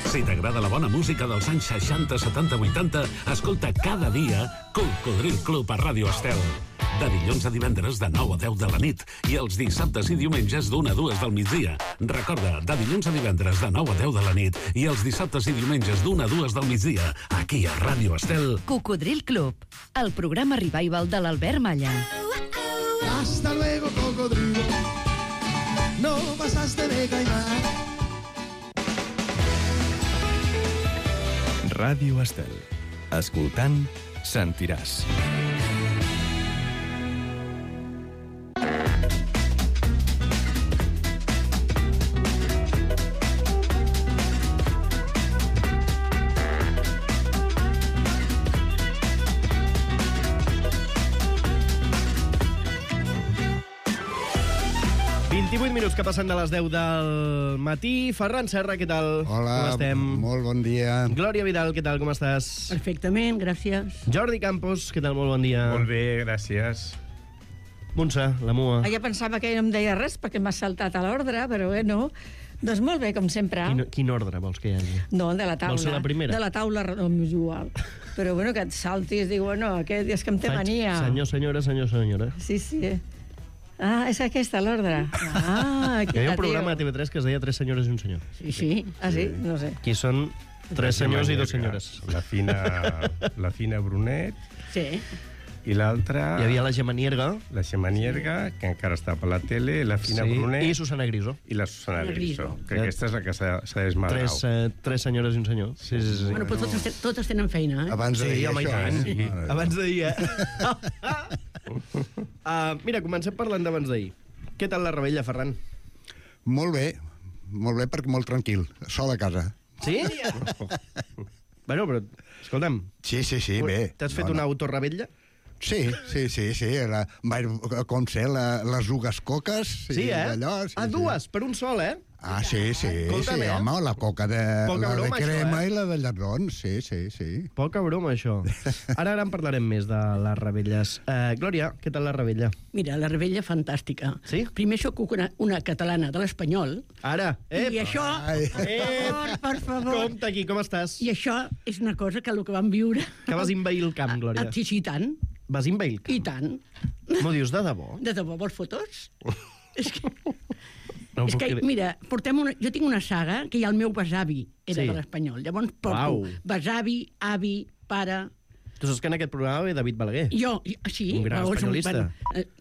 Si t'agrada la bona música dels anys 60, 70, 80, escolta cada dia Cocodril Club a Ràdio Estel. De dilluns a divendres de 9 a 10 de la nit i els dissabtes i diumenges d'1 a 2 del migdia. Recorda, de dilluns a divendres de 9 a 10 de la nit i els dissabtes i diumenges d'1 a 2 del migdia, aquí a Ràdio Estel. Cocodril Club, el programa revival de l'Albert Malla. Hasta luego, cocodrilo. No pasaste de caimán. Ràdio Estel. Escoltant, sentiràs. Minuts que passen de les 10 del matí. Ferran Serra, què tal? Hola, com estem? Molt bon dia. Glòria Vidal, què tal, com estàs? Perfectament, gràcies. Jordi Campos, què tal, molt bon dia. Molt bé, gràcies. Montse, la mua. Ja pensava que no em deia res perquè m'ha saltat a l'ordre, però no. Doncs molt bé, com sempre. Quin ordre vols que hi hagi? No, de la taula. Vols ser la primera? De la taula, no m'és igual. Però que et saltis, dic, aquest és que em té mania. Senyor, senyora. Sí. Ah, és aquesta l'ordre. Hi havia un programa de TV3 que es deia 3 senyores i un senyor. Sí? Ah, sí? No sé. Aquí són 3 senyors i 2 senyores. La Fina Brunet. Sí. I l'altra... Hi havia la Gemma Nierga. La Gemma Nierga, que encara està per la tele, la Fina Brunet... I Susana Griso. I la Susana Griso. Que aquesta és la que s'ha desmadrat. 3 senyores i un senyor. Sí. Bueno, però totes tenen feina, eh? Abans de dir això, sí. Abans de dir, mira, comencem parlant d'abans d'ahir. Què tal la revetlla, Ferran? Molt bé, perquè molt tranquil, sol a casa. Sí? Bueno, però, escolta'm. Sí, bé. T'has fet una autorrevetlla? Sí. Com sé, les ugues coques. Sí, d'allò, dues, per un sol, eh? Sí, home, la coca de crema i la de llardons, sí. Poca broma, això. Ara en parlarem més de les Rebelles. Glòria, què tal la Rebella? Mira, la Rebella fantàstica. Sí? Primer sóc una catalana de l'Espanyol. Ara, I això... Per favor. Compte aquí, com estàs? I això és una cosa que el que vam viure... Que vas invair el camp, Glòria. Sí, tant. Vas invair el camp? I tant. M'ho dius de debò? De debò, vols fotos? És que... No és que, mira, jo tinc una saga que ja el meu besavi era de l'Espanyol. Llavors porto besavi, avi, pare... Tu saps que en aquest programa ve David Balaguer? Sí. Un gran espanyolista.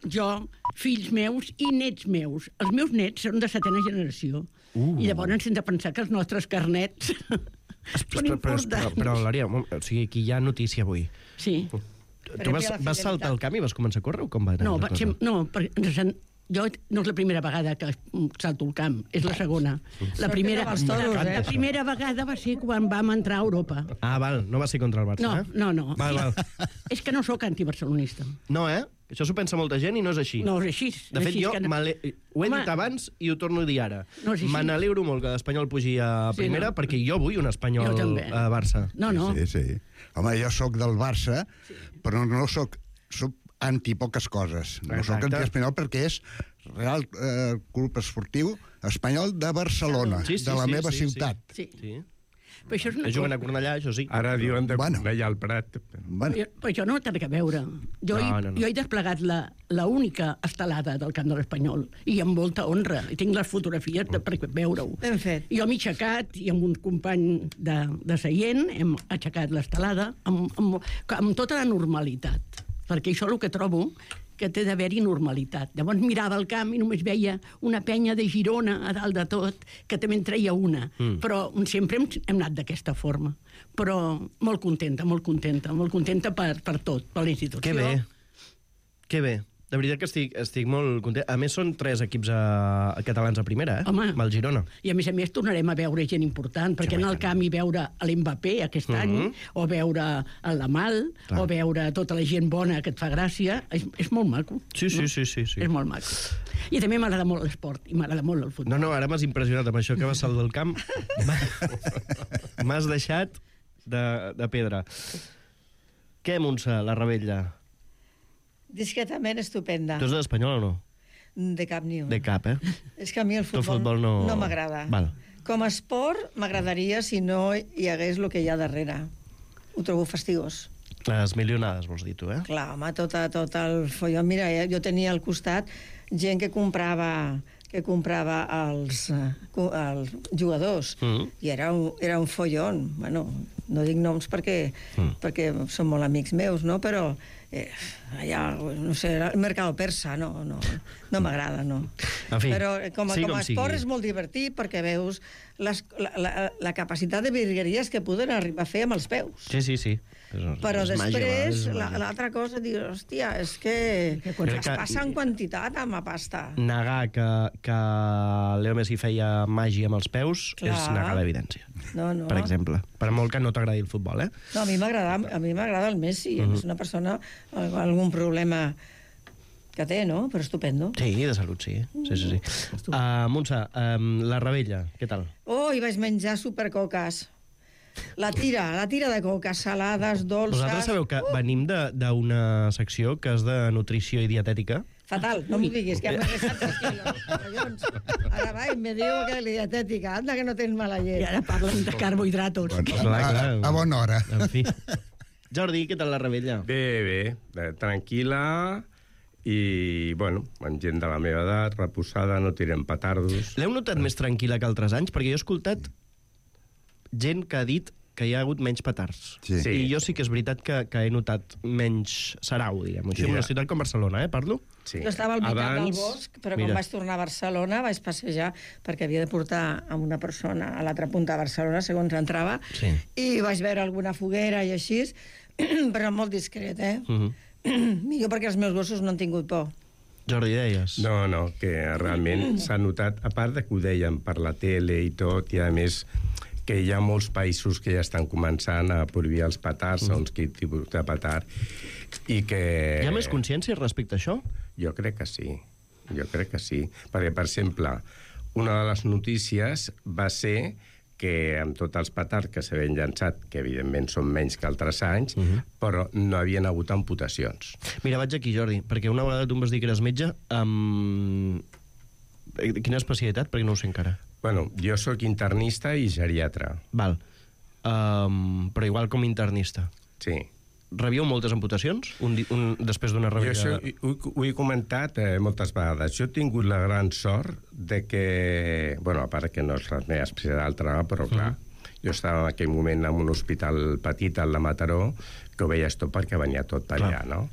Jo, fills meus i nets meus. Els meus nets són de 7a generació. I llavors hem de pensar que els nostres carnets són importants. Però, Glòria, o sigui, aquí hi ha notícia avui. Sí. Tu vas saltar al camp i vas començar a córrer o com va anar la cosa? No, perquè jo no és la primera vegada que salto al camp, és la segona. La primera vegada va ser quan vam entrar a Europa. Val, no va ser contra el Barça, No. Val. És que no sóc antibarcelonista. No, Això s'ho pensa molta gent i no és així. No és així. De fet, jo ho he dit abans i ho torno a dir ara. Me n'alegro molt que l'Espanyol pugi a primera perquè jo vull un Espanyol a Barça. No. Sí. Home, jo sóc del Barça, però no sóc antipoques coses. No sóc anti-espanyol perquè és Real Club Esportiu Espanyol de Barcelona, de la meva ciutat. Sí. Però això és una juguen a Cornellà, això sí. Ara diuen de Cornellà al Prat. Però això no té res a veure. Jo he desplegat la única estelada del camp de l'Espanyol i amb molta honra. I tinc les fotografies per veure-ho. Ben fet. Jo m'he aixecat i amb un company de seient hem aixecat l'estelada amb tota la normalitat. Perquè això és el que trobo, que té d'haver-hi normalitat. Llavors mirava el camp i només veia una penya de Girona a dalt de tot, que també en treia una. Però sempre hem anat d'aquesta forma. Però molt contenta per tot, per la institució. Que bé. De veritat que estic molt content. A més, són 3 equips catalans a primera, Home. Amb el Girona. I a més tornarem a veure gent important, perquè anar al camp i veure l'Mbappé aquest any, o veure el Lamal, o veure tota la gent bona que et fa gràcia, és molt maco. Sí. És molt maco. I també m'agrada molt l'esport, i m'agrada molt el futbol. No, ara m'has impressionat amb això que vas saltar del camp. M'has deixat de pedra. Què, Montse, la Rebella? Discretament estupenda. Tu ets de l'Espanyol o no? De cap ni un. De cap, És que a mi el futbol no m'agrada. Com a esport m'agradaria si no hi hagués el que hi ha darrere. Ho trobo fastigós. Les milionades, vols dir tu, Clar, home, tot el follon. Mira, jo tenia al costat gent que comprava els jugadors i era un follon. Bueno, no dic noms perquè són molt amics meus, no? Però allà, no sé, el mercat persa no m'agrada, no. Però com a esport és molt divertit perquè veus la capacitat de virgueries que poden arribar a fer amb els peus. Sí. Però després, l'altra cosa, dius, hòstia, és que es passa en quantitat amb la pasta. Negar que Leo Messi feia màgia amb els peus és negar l'evidència. No. Per exemple, per molt que no t'agradi el futbol, No, a mi m'agrada el Messi, és una persona amb algun problema que té, no? Però estupendo. Sí, de salut, sí. Montse, la Rebella, què tal? I vaig menjar supercoques. La tira de coques, salades, dolces... Vosaltres sabeu que venim d'una secció que és de nutrició i dietètica? Fatal, no m'ho diguis, que m'he restat 3 quilos. Collons. Ara va, i me diu que la dietètica, anda que no tens mala llet. I ara parlen de carbohidratos. A bona hora. En fi. Jordi, què tal la Rebella? Bé, tranquil·la i, bueno, amb gent de la meva edat, reposada, no tirem petardos. L'heu notat més tranquil·la que altres anys? Perquè jo he escoltat gent que ha dit que hi ha hagut menys petards. Sí. I jo sí que és veritat que he notat menys sarau, diguem-ho així, en una ciutat com Barcelona, parlo? Sí. Jo estava al Micat del Bosc, però quan vaig tornar a Barcelona vaig passejar perquè havia de portar a una persona a l'altra punta de Barcelona, segons entrava, i vaig veure alguna foguera i així, però molt discret, Millor perquè els meus gossos no han tingut por. Jordi, deies? No, que realment s'ha notat, a part de que ho deien per la tele i tot, i a més que hi ha molts països que ja estan començant a prohibir els petards, segons quin tipus de petard, i que... Hi ha més consciència respecte a això? Jo crec que sí. Perquè, per exemple, una de les notícies va ser que amb tots els petards que s'havien llançat, que evidentment són menys que altres anys, però no havien hagut amputacions. Mira, vaig aquí, Jordi, perquè una vegada tu em vas dir que eres metge. Quina especialitat? Perquè no ho sé encara. Bueno, jo sóc internista i geriatra. Val. Però igual com internista. Sí. Rebíeu moltes amputacions després d'una rebella? Jo ho he comentat moltes vegades. Jo he tingut la gran sort de que... Bueno, a part que no és la meva especialitat, però clar, jo estava en aquell moment en un hospital petit, al de Mataró, que ho veies tot perquè venia tot per allà, no?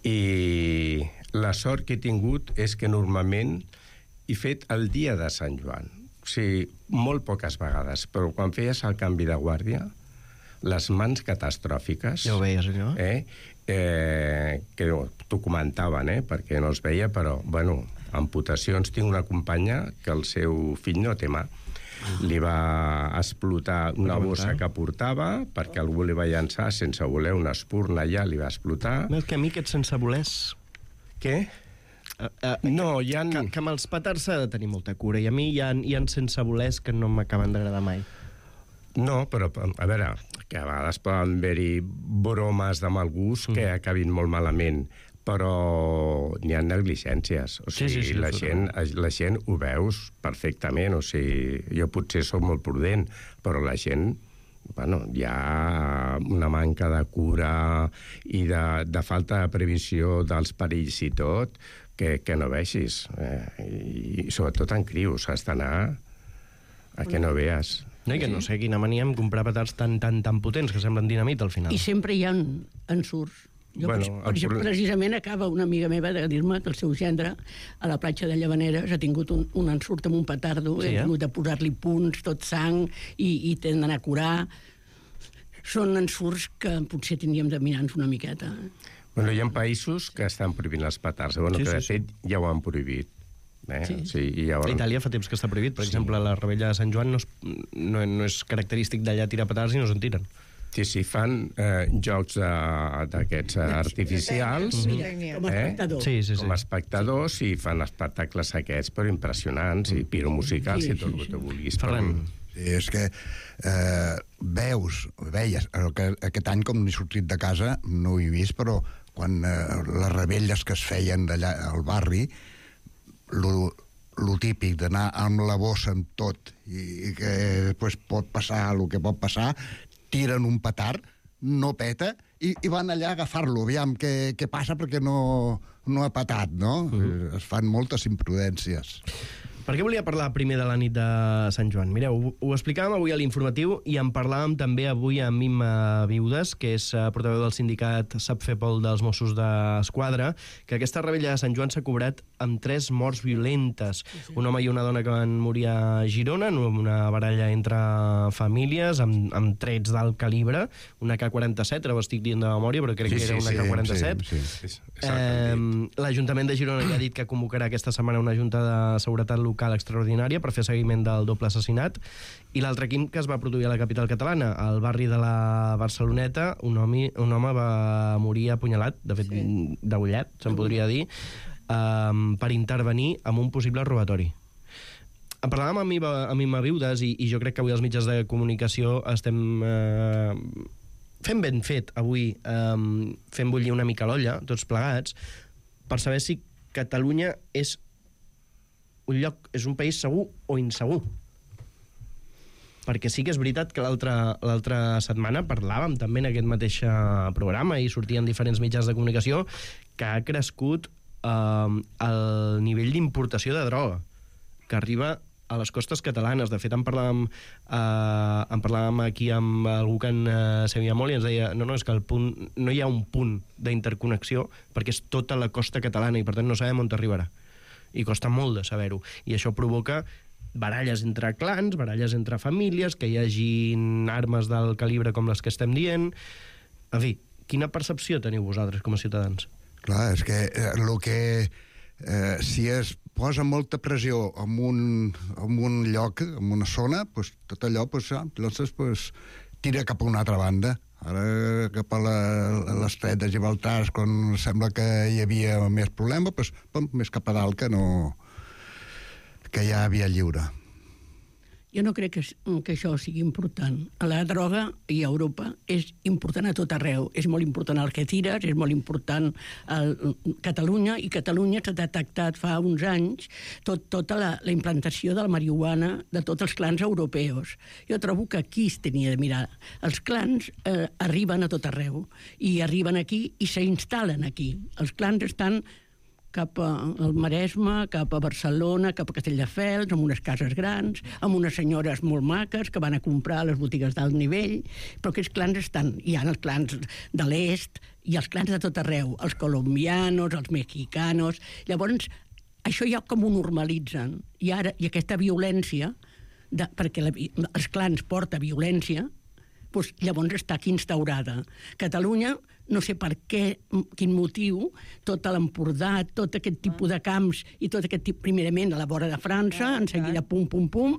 I la sort que he tingut és que normalment he fet el dia de Sant Joan. O sigui, molt poques vegades, però quan feies el canvi de guàrdia, les mans catastròfiques... Ja ho veies, allò? Que t'ho comentaven, perquè no es veia, però, bueno, amputacions. Tinc una companya que el seu fill no té mà. Li va explotar una bossa que portava, perquè algú li va llançar sense voler una espurna allà, li va explotar. És que a mi aquests sense volers... Què? No, hi ha... Que amb els petards s'ha de tenir molta cura, i a mi hi ha sense volers que no m'acaben d'agradar mai. No, però, a veure, que a vegades poden haver-hi bromes de mal gust que acabin molt malament, però n'hi ha negligències. O sigui, la gent ho veus perfectament. O sigui, jo potser soc molt prudent, però la gent... Bueno, hi ha una manca de cura i de falta de previsió dels perills i tot que no vegis. I sobretot en crios, has d'anar a que no veas. No, i que no sé quina mania amb comprar petards tan potents que semblen dinamit al final. I sempre hi ha ensurts. Precisament acaba una amiga meva de dir-me que el seu gendre a la platja de Llavaneres ha tingut un ensurt amb un petardo, ha hagut de posar-li punts, tot sang, i tenen d'anar a curar. Són ensurts que potser tindríem de mirar-nos una miqueta. Bueno, hi ha països que estan prohibint els petards, que de fet ja ho han prohibit. Itàlia fa temps que està prohibit. Per exemple, la rebella de Sant Joan no és característic d'allà tirar petards i no se'n tiren. Sí, fan jocs d'aquests artificials com a espectadors i fan espectacles aquests, però impressionants, i piromusicals i tot el que tu vulguis. És que veies, aquest any com n'he sortit de casa, no ho he vist, però quan les rebelles que es feien d'allà al barri, lo típic d'anar amb la bossa amb tot i que després pot passar el que pot passar, tiren un petard, no peta, i van allà a agafar-lo, aviam què passa perquè no ha petat, no? Es fan moltes imprudències. Per què volia parlar primer de la nit de Sant Joan? Mireu, ho explicàvem avui a l'informatiu i en parlàvem també avui amb Imma Viudes, que és portaveu del sindicat SAPFEPOL dels Mossos d'Esquadra, que aquesta rebella de Sant Joan s'ha cobrat amb 3 morts violentes. Un home i una dona que van morir a Girona, en una baralla entre famílies, amb trets d'alt calibre, una AK-47, ara ho estic dient de memòria, però crec que era una AK-47. L'Ajuntament de Girona ja ha dit que convocarà aquesta setmana una junta de seguretat local extraordinària per fer seguiment del doble assassinat. I l'altre crim que es va produir a la capital catalana, al barri de la Barceloneta, un home va morir apunyalat, de fet degollat, se'n podria dir, per intervenir en un possible robatori. En parlàvem amb Imma Viudes i jo crec que avui els mitjans de comunicació estem fent ben fet avui, fent bullir una mica l'olla, tots plegats, per saber si Catalunya és un país segur o insegur. Perquè sí que és veritat que l'altra setmana parlàvem també en aquest mateix programa i sortien diferents mitjans de comunicació que ha crescut el nivell d'importació de droga que arriba a les costes catalanes. De fet, en parlàvem aquí amb algú que en sabia molt i ens deia no, és que no hi ha un punt d'interconnexió perquè és tota la costa catalana i per tant no sabem on t'arribarà. I costa molt de saber-ho. I això provoca baralles entre clans, baralles entre famílies, que hi hagin armes del calibre com les que estem dient. En fi, quina percepció teniu vosaltres com a ciutadans? Clar, és que si és posa molta pressió en un lloc, en una zona, doncs tot allò tira cap a una altra banda. Ara, cap a l'estret de Gibraltar, quan sembla que hi havia més problema, doncs, més cap a dalt que ja havia lliure. Jo no crec que això sigui important. La droga i a Europa és important a tot arreu. És molt important el que tires, és molt important a Catalunya, i Catalunya s'ha detectat fa uns anys tota la implantació de la marihuana de tots els clans europeus. Jo trobo que aquí es tenia de mirar. Els clans arriben a tot arreu, i arriben aquí i s'instal·len aquí. Els clans estan cap al Maresme, cap a Barcelona, cap a Castelldefels, amb unes cases grans, amb unes senyores molt maques que van a comprar a les botigues d'alt nivell, però aquests clans estan. Hi ha els clans de l'est i els clans de tot arreu, els colombianos, els mexicanos. Llavors, això ja com ho normalitzen. I aquesta violència, perquè els clans porta violència, doncs llavors està aquí instaurada. Catalunya, no sé per què, quin motiu, tot l'Empordà, tot aquest tipus de camps i tot aquest tipus, primerament a la vora de França, en seguida pum, pum, pum,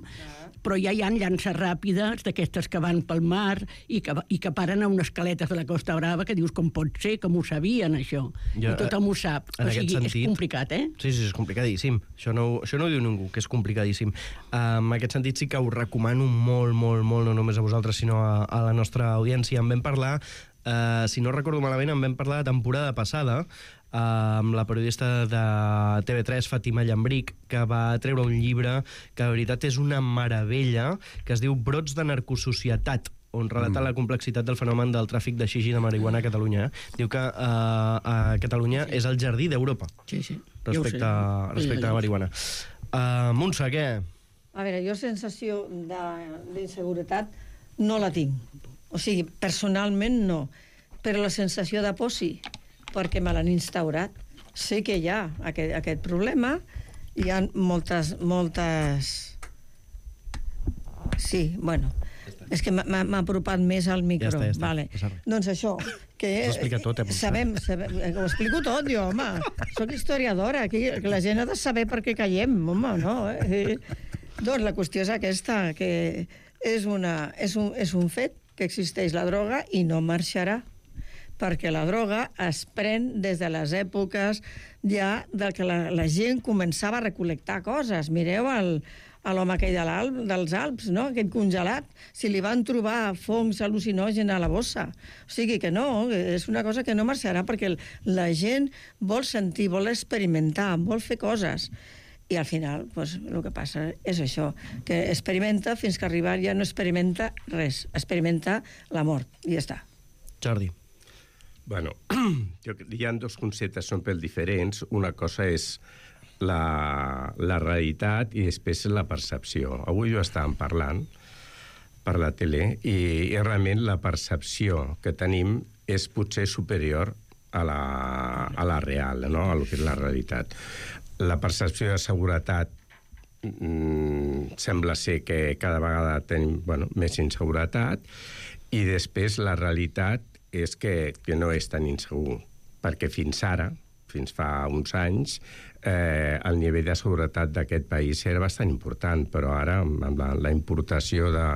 però ja hi ha llances ràpides d'aquestes que van pel mar i que paren a unes caletes de la Costa Brava que dius com pot ser, com ho sabien, això. I tothom ho sap. O sigui, és complicat, eh? Sí, és complicadíssim. Això no ho diu ningú, que és complicadíssim. En aquest sentit sí que us recomano molt, molt, molt, no només a vosaltres, sinó a la nostra audiència. En vam parlar, si no recordo malament, en vam parlar la temporada passada amb la periodista de TV3, Fàtima Llambric, que va treure un llibre que, de veritat, és una meravella, que es diu Brots de narcosocietat, on relata la complexitat del fenomen del tràfic de xixi de marihuana a Catalunya. Diu que a Catalunya és el jardí d'Europa respecte a la marihuana. Montse, què? A veure, jo sensació d'inseguretat no la tinc. O sigui, personalment no. Però la sensació de por sí, perquè me l'han instaurat. Sé que hi ha aquest problema, hi ha moltes... Sí, bueno, és que m'ha apropat més al micro. Ja està. Vale. Doncs això, que... Ho explica tot, sabem, ho explico tot, jo, home. Soc historiadora, aquí la gent ha de saber per què callem, home, no? Doncs la qüestió és aquesta, que és un fet que existeix la droga i no marxarà, perquè la droga es pren des de les èpoques ja que la gent començava a recol·lectar coses. Mireu l'home aquell dels Alps, no? Aquest congelat, si li van trobar fongs al·lucinògens a la bossa. O sigui que no, és una cosa que no marxarà, perquè la gent vol sentir, vol experimentar, vol fer coses. I al final, doncs, el que passa és això, que experimenta fins que arribar ja no experimenta res, experimenta la mort, i ja està. Jordi. Bueno, hi ha dos conceptes, són pel diferents. Una cosa és la realitat i després la percepció. Avui ho estàvem parlant per la tele i realment la percepció que tenim és potser superior a la real, no? A lo que és la realitat. La percepció de seguretat sembla ser que cada vegada tenim més inseguretat, i després la realitat és que no és tan insegur, perquè fins ara, fins fa uns anys, el nivell de seguretat d'aquest país era bastant important, però ara, amb la importació de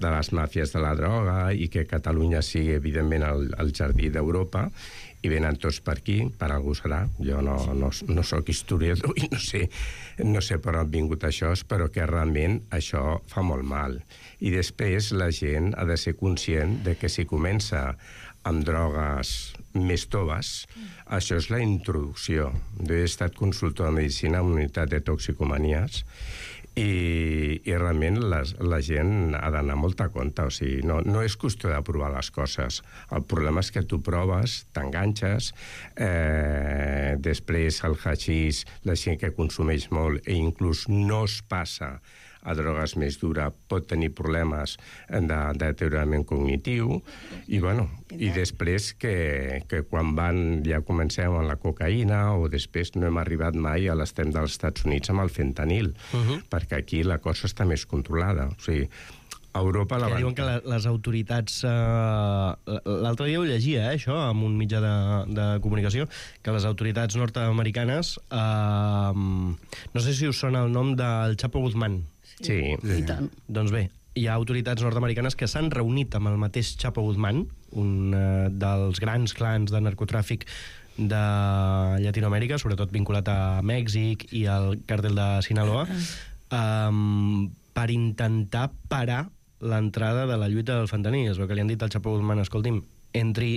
les màfies de la droga i que Catalunya sigui, evidentment, el jardí d'Europa, i venen tots per aquí, per algú serà. Jo no soc historiador i no sé per on han vingut això, però que realment això fa molt mal. I després la gent ha de ser conscient de que si comença amb drogues més toves, això és la introducció. Jo he estat consultor de medicina en una unitat de toxicomanies i realment la gent ha d'anar molt a compte. O sigui, no és qüestió de provar les coses. El problema és que tu proves, t'enganxes, després el haixís, la gent que consumeix molt i inclús no es passa a drogues més dures, pot tenir problemes de deteriorament cognitiu, i després que quan ja comencem amb la cocaïna, o després no hem arribat mai a l'extrem dels Estats Units amb el fentanil, perquè aquí la cosa està més controlada. O sigui, Europa la que diuen que les autoritats... L'altre dia ho llegia, això, amb un mitjà de comunicació, que les autoritats nord-americanes... no sé si us sona el nom del Chapo Guzmán. Sí. I tant. Doncs bé, hi ha autoritats nord-americanes que s'han reunit amb el mateix Chapo Guzmán, un dels grans clans de narcotràfic de Llatinoamèrica, sobretot vinculat a Mèxic i al càrtel de Sinaloa, per intentar parar l'entrada de la lluita del fentanil. Es veu que li han dit al Chapo Guzmán, escolti'm, entri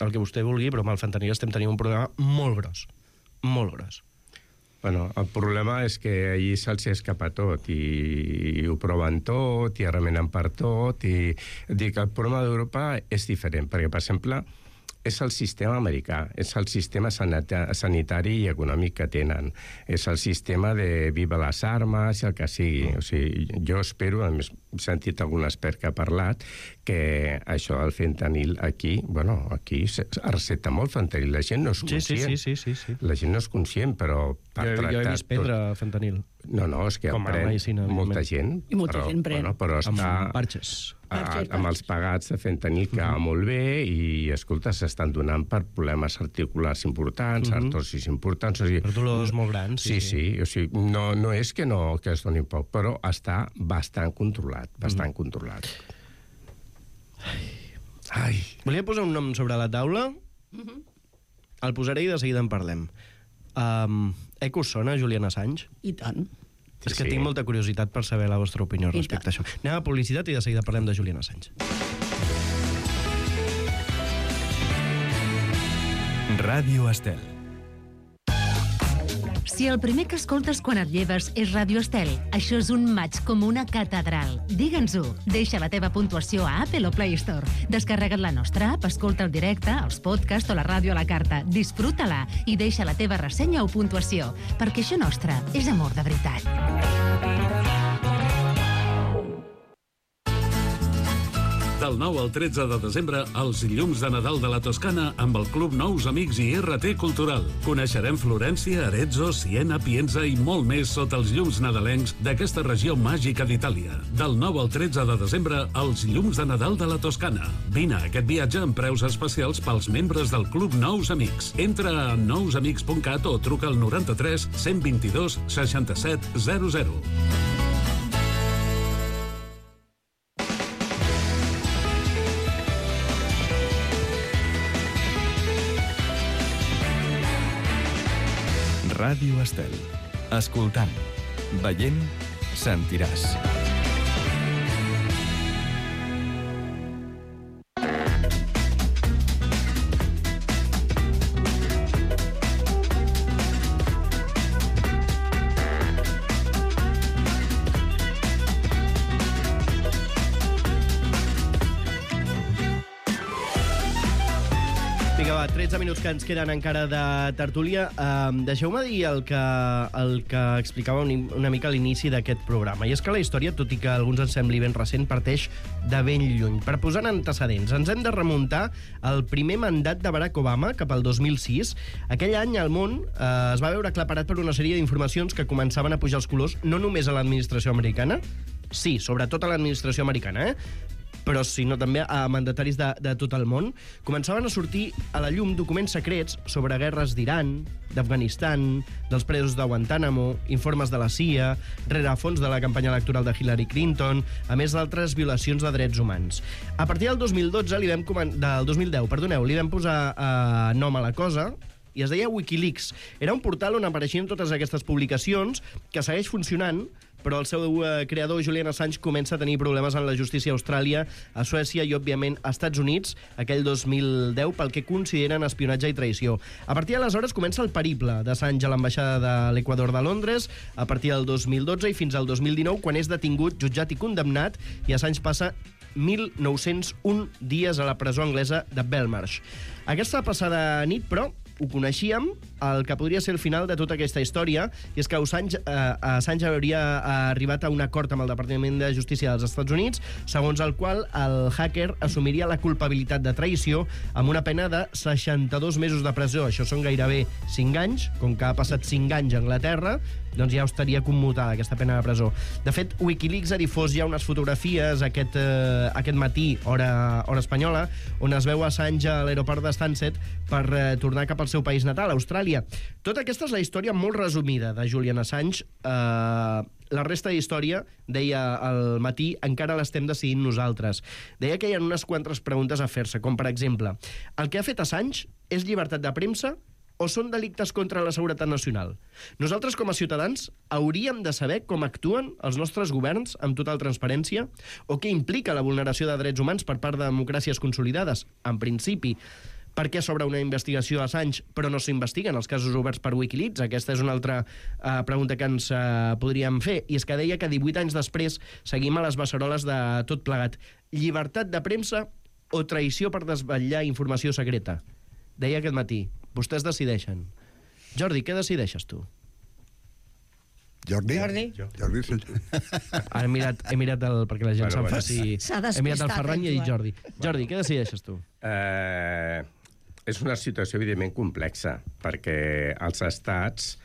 el que vostè vulgui, però amb el fentanil estem tenint un problema molt gros. Molt gros. Bueno, el problema és que allí se'ls escapa tot i ho proven tot i remenen per tot i dic, el problema d'Europa és diferent, perquè, per exemple, és el sistema americà, és el sistema sanitari i econòmic que tenen, és el sistema de viva les armes i el que sigui. O sigui, jo espero, a més, he sentit algun expert que ha parlat, que això del fentanil aquí, bueno, aquí es recepta molt fentanil, la gent no és conscient. Sí. La gent no és conscient, però per tractar... Jo he vist prendre fentanil. No, és que en pren molta gent. I molta gent pren. Bueno, però està... Amb parxes. Amb els pagats de fentanil que va molt bé i, escolta, s'estan donant per problemes articulars importants, artrosis importants... O sigui, per dolors molt grans. Sí. O sigui, no és que es doni poc, però està bastant controlat, controlat. Ai. Volia posar un nom sobre la taula? El posaré i de seguida en parlem. Us sona Julian Assange? I tant. És que tinc molta curiositat per saber la vostra opinió respecte a això. Anem a publicitat i de seguida parlem de Julian Assange. Ràdio Estel. Si el primer que escoltes quan et lleves és Ràdio Estel, això és un maig com una catedral. Digue'ns-ho. Deixa la teva puntuació a Apple o Play Store. Descarrega't la nostra app, escolta el directe, els podcasts o la ràdio a la carta. Disfruta-la i deixa la teva ressenya o puntuació, perquè això nostre és amor de veritat. Del 9 al 13 de desembre, els llums de Nadal de la Toscana amb el Club Nous Amics i RT Cultural. Coneixerem Florència, Arezzo, Siena, Pienza i molt més sota els llums nadalencs d'aquesta regió màgica d'Itàlia. Del 9 al 13 de desembre, els llums de Nadal de la Toscana. Vine a aquest viatge amb preus especials pels membres del Club Nous Amics. Entra a nousamics.cat o truca al 93 122 67 00. Ràdio Estel. Escoltant, veient, sentiràs. Vinga, va, 13 minuts que ens queden encara de tertúlia. Deixeu-me dir el que explicava una mica a l'inici d'aquest programa. I és que la història, tot i que a alguns ens sembli ben recent, parteix de ben lluny. Per posar antecedents, ens hem de remuntar al primer mandat de Barack Obama, cap al 2006. Aquell any el món es va veure aclaparat per una sèrie d'informacions que començaven a pujar els colors, no només a l'administració americana, sí, sobretot a l'administració americana, però sinó també a mandataris de tot el món, començaven a sortir a la llum documents secrets sobre guerres d'Iran, d'Afganistan, dels presos de Guantánamo, informes de la CIA, rerefons de la campanya electoral de Hillary Clinton, a més d'altres violacions de drets humans. A partir del 2010, li vam posar nom a la cosa, i es deia Wikileaks. Era un portal on apareixien totes aquestes publicacions, que segueix funcionant, però el seu creador, Julian Assange, comença a tenir problemes en la justícia a Austràlia, a Suècia i, òbviament, a Estats Units, aquell 2010, pel que consideren espionatge i traïció. A partir d'aleshores comença el periple d'Assange a l'ambaixada de l'Equador de Londres, a partir del 2012 i fins al 2019, quan és detingut, jutjat i condemnat, i Assange passa 1.901 dies a la presó anglesa de Belmarsh. Aquesta passada nit, però, ho coneixíem, el que podria ser el final de tota aquesta història, i és que Assange hauria arribat a un acord amb el Departament de Justícia dels Estats Units, segons el qual el hacker assumiria la culpabilitat de traïció amb una pena de 62 mesos de presó. Això són gairebé 5 anys, com que ha passat 5 anys a Anglaterra, doncs ja estaria commutada aquesta pena de presó. De fet, Wikileaks ha difós ja unes fotografies aquest matí, hora espanyola, on es veu Assange a l'aeroport de Stansted per tornar cap al seu país natal, Austràlia. Tota aquesta és la història molt resumida de Julian Assange. La resta d'història, deia al matí, encara l'estem decidint nosaltres. Deia que hi ha unes quantes preguntes a fer-se, com per exemple, el que ha fet Assange és llibertat de premsa o són delictes contra la seguretat nacional? Nosaltres, com a ciutadans, hauríem de saber com actuen els nostres governs amb total transparència o què implica la vulneració de drets humans per part de democràcies consolidades? En principi, per què s'obre una investigació a Assange però no s'investiguen els casos oberts per Wikileaks? Aquesta és una altra pregunta que ens podríem fer. I és que deia que 18 anys després seguim a les beceroles de tot plegat. Llibertat de premsa o traïció per desvetllar informació secreta? Deia aquest matí. Vostès decideixen. Jordi, què decideixes tu? Jordi? He mirat perquè la gent se'n faci... He mirat el Ferran i he dit Jordi. Jordi, què decideixes tu? És una situació, evidentment, complexa, perquè els estats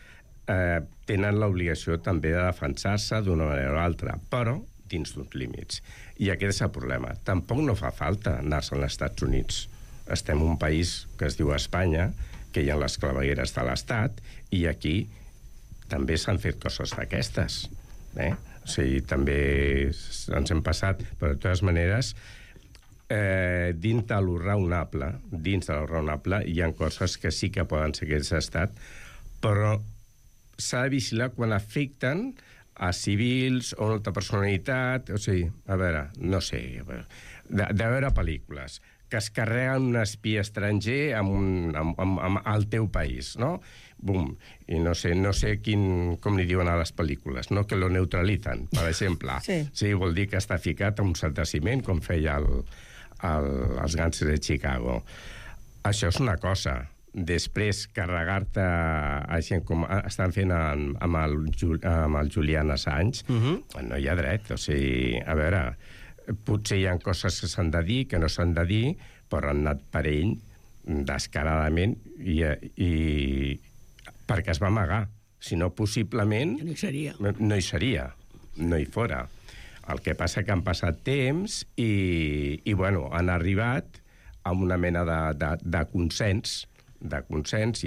tenen l'obligació també de defensar-se d'una manera o altra, però dins d'uns límits. I aquest és el problema. Tampoc no fa falta anar-se als Estats Units. Estem en un país que es diu Espanya, que hi ha les clavegueres de l'Estat, i aquí també s'han fet coses d'aquestes. O sigui, també ens hem passat, però de totes maneres, dins de lo raonable, hi ha coses que sí que poden ser aquest estat, però s'ha de vigilar quan afecten a civils o una altra personalitat. O sigui, a veure, no sé, de veure pel·lícules que es carreguen un espia estranger al teu país, no? Bum. I no sé com li diuen a les pel·lícules, no? Que lo neutralitzen, per exemple. Sí, vol dir que està ficat a un cert ciment, com feia els gàngsters de Chicago. Això és una cosa. Després, carregar-te a gent com estan fent amb el Julian Assange, no hi ha dret. O sigui, a veure, potser hi ha coses que s'han de dir, que no s'han de dir, però han anat per ell descaradament i perquè es va amagar. Si no, possiblement... No hi seria. No hi fora. El que passa que han passat temps i bueno, han arribat a una mena de consens, i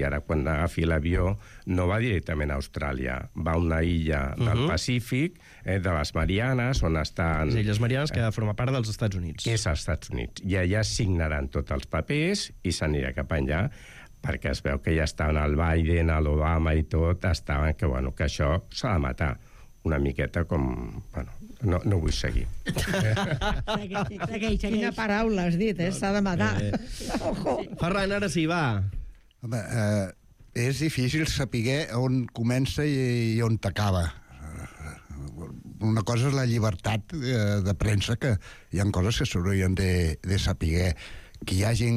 ara quan agafi l'avió no va directament a Austràlia, va a una illa del Pacífic, de les Marianes, on estan... Les Illes Marianes, que forma part dels Estats Units. És als Estats Units. I allà signaran tots els papers i s'anirà cap allà, perquè es veu que ja estaven el Biden, l'Obama i tot, estaven que això s'ha de matar. Una miqueta com... Bueno, no vull seguir. Segueix. Quina paraula has dit, s'ha de matar. Ferran, ara sí, va. Home, és difícil saber on comença i on t'acaba. Una cosa és la llibertat de premsa, que hi ha coses que s'haurien de saber. Que hi hagi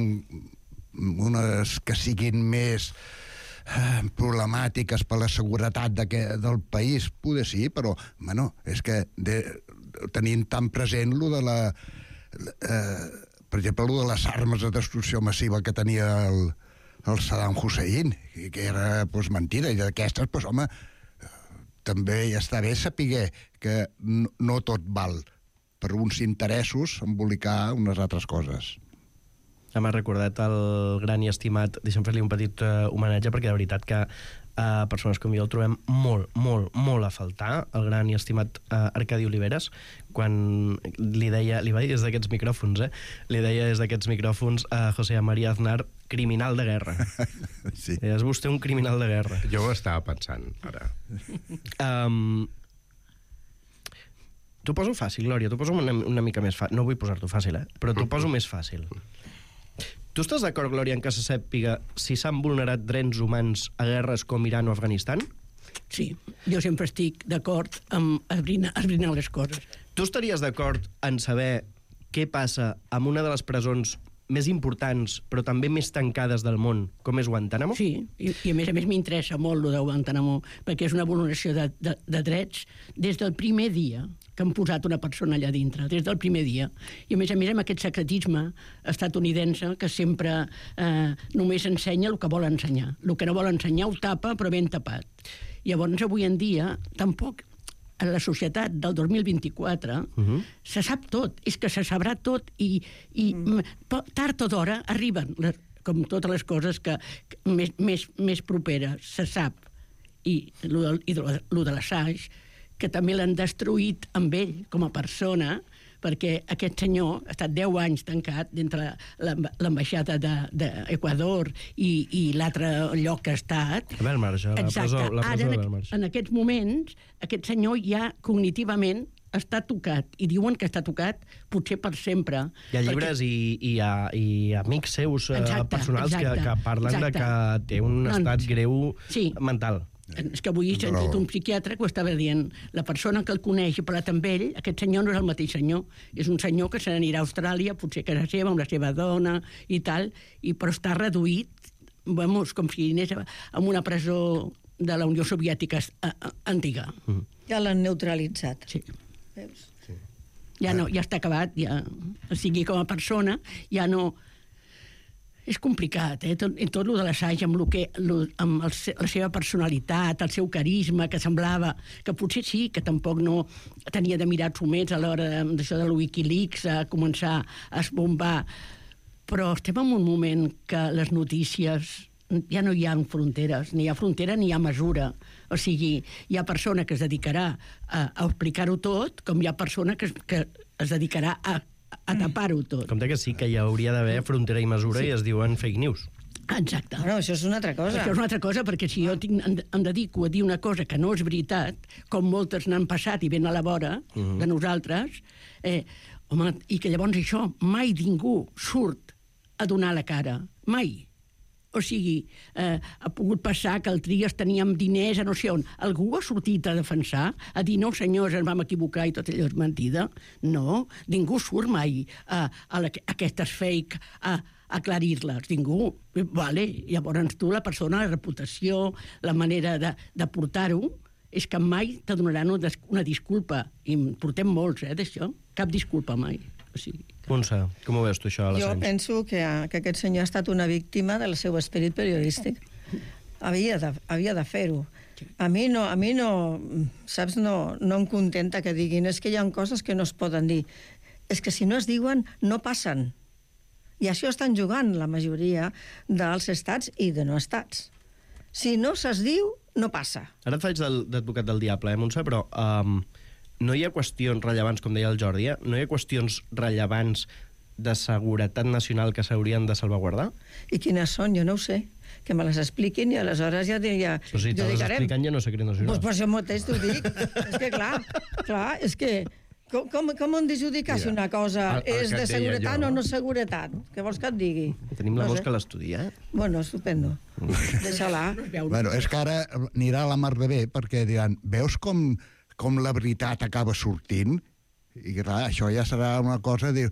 unes que siguin més problemàtiques per la seguretat del país, poder sí, però bueno, és que tenint tan present lo de per exemple, lo de les armes de destrucció massiva que tenia el Saddam Hussein, que era mentida, i d'aquestes, home, també ja està bé saber que no tot val per uns interessos embolicar unes altres coses. M'ha recordat el gran i estimat, deixa'm fer-li un petit homenatge, perquè de veritat que persones com jo el trobem molt, molt, molt a faltar, el gran i estimat Arcadi Oliveres, quan li va dir des d'aquests micròfons, li deia des d'aquests micròfons a José María Aznar, criminal de guerra. Sí. És vostè un criminal de guerra. Jo ho estava pensant, ara. T'ho poso fàcil, Glòria, t'ho poso una mica més fàcil. No vull posar-t'ho fàcil, però t'ho poso més fàcil. Tu estàs d'acord, Glòria, en que se sàpiga si s'han vulnerat drets humans a guerres com Iran o Afganistan? Sí, jo sempre estic d'acord amb esbrinar les coses. Tu estaries d'acord en saber què passa amb una de les presons més importants, però també més tancades del món, com és Guantánamo? Sí, i a més m'interessa molt el de Guantánamo, perquè és una vulneració de drets des del primer dia que han posat una persona allà dintre, des del primer dia. I a més amb aquest secretisme estatunidense que sempre només ensenya el que vol ensenyar. El que no vol ensenyar ho tapa, però ben tapat. Llavors, avui en dia, tampoc en la societat del 2024 se sap tot, és que se sabrà tot i tard o d'hora arriben, com totes les coses que més properes, se sap. I lo de l'Assange, que també l'han destruït amb ell com a persona, perquè aquest senyor ha estat 10 anys tancat dintre l'ambaixada d'Equador i l'altre lloc que ha estat. A Belmarsh, la presó de Belmarsh. En aquests moments, aquest senyor ja cognitivament està tocat, i diuen que està tocat potser per sempre. Hi ha llibres i amics seus personals que parlen de que té un estat greu mental. És que avui he sentit un psiquiatre que ho estava dient. La persona que el coneix i ha parlat amb ell, aquest senyor no és el mateix senyor. És un senyor que se n'anirà a Austràlia, potser a casa seva, amb la seva dona i tal, però està reduït, com si anés en una presó de la Unió Soviètica antiga. Ja l'han neutralitzat. Sí. Veus? Ja està acabat, o sigui, com a persona, ja no... És complicat, tot lo de l'Assange, amb la seva personalitat, el seu carisma, que semblava que potser sí, que tampoc no tenia de mirar xumets a l'hora d'això de Wikileaks, a començar a esbombar. Però estem en un moment que les notícies ja no hi ha fronteres, ni hi ha frontera ni hi ha mesura. O sigui, hi ha persona que es dedicarà a explicar-ho tot, com hi ha persona que es dedicarà a tapar-ho tot. Compte que sí, que hi hauria d'haver frontera i mesura i es diuen fake news. Exacte. Bueno, això és una altra cosa. Això és una altra cosa, perquè si jo em dedico a dir una cosa que no és veritat, com moltes n'han passat i ben a la vora de nosaltres, home, i que llavors això mai ningú surt a donar la cara. Mai. O sigui, ha pogut passar que el Trias teníem diners a no sé on. Algú ha sortit a defensar, a dir, no, senyors, ens vam equivocar i tot allò és mentida? No, ningú surt mai a aquestes fake a aclarir-les. Ningú. Vale. Llavors tu, la persona, la reputació, la manera de portar-ho, és que mai te donaran una disculpa. I portem molts, d'això. Cap disculpa mai. O sigui... Montse, com ho veus tu, això, a l'Assange? Jo penso que aquest senyor ha estat una víctima del seu esperit periodístic. Havia de fer-ho. A mi no, saps, no em contenta que diguin és que hi ha coses que no es poden dir. És que si no es diuen, no passen. I això estan jugant la majoria dels estats i de no estats. Si no se'ls diu, no passa. Ara et faig d'advocat del diable, Montse, però... no hi ha qüestions rellevants, com deia el Jordi, no hi ha qüestions rellevants de seguretat nacional que s'haurien de salvaguardar? I quines són? Jo no ho sé. Que me les expliquin i aleshores ja Però si te les expliquen ja no és secret nacional. Doncs per això mateix t'ho dic. És que clar, és que... Com hem d'adjudicar si una cosa és de seguretat o no seguretat? Què vols que et digui? Tenim la vols que l'estudia, Bueno, estupendo. Deixa-la. Bueno, és que ara anirà a la mar de bé, perquè diran, veus com la veritat acaba sortint? I clar, això ja serà una cosa, que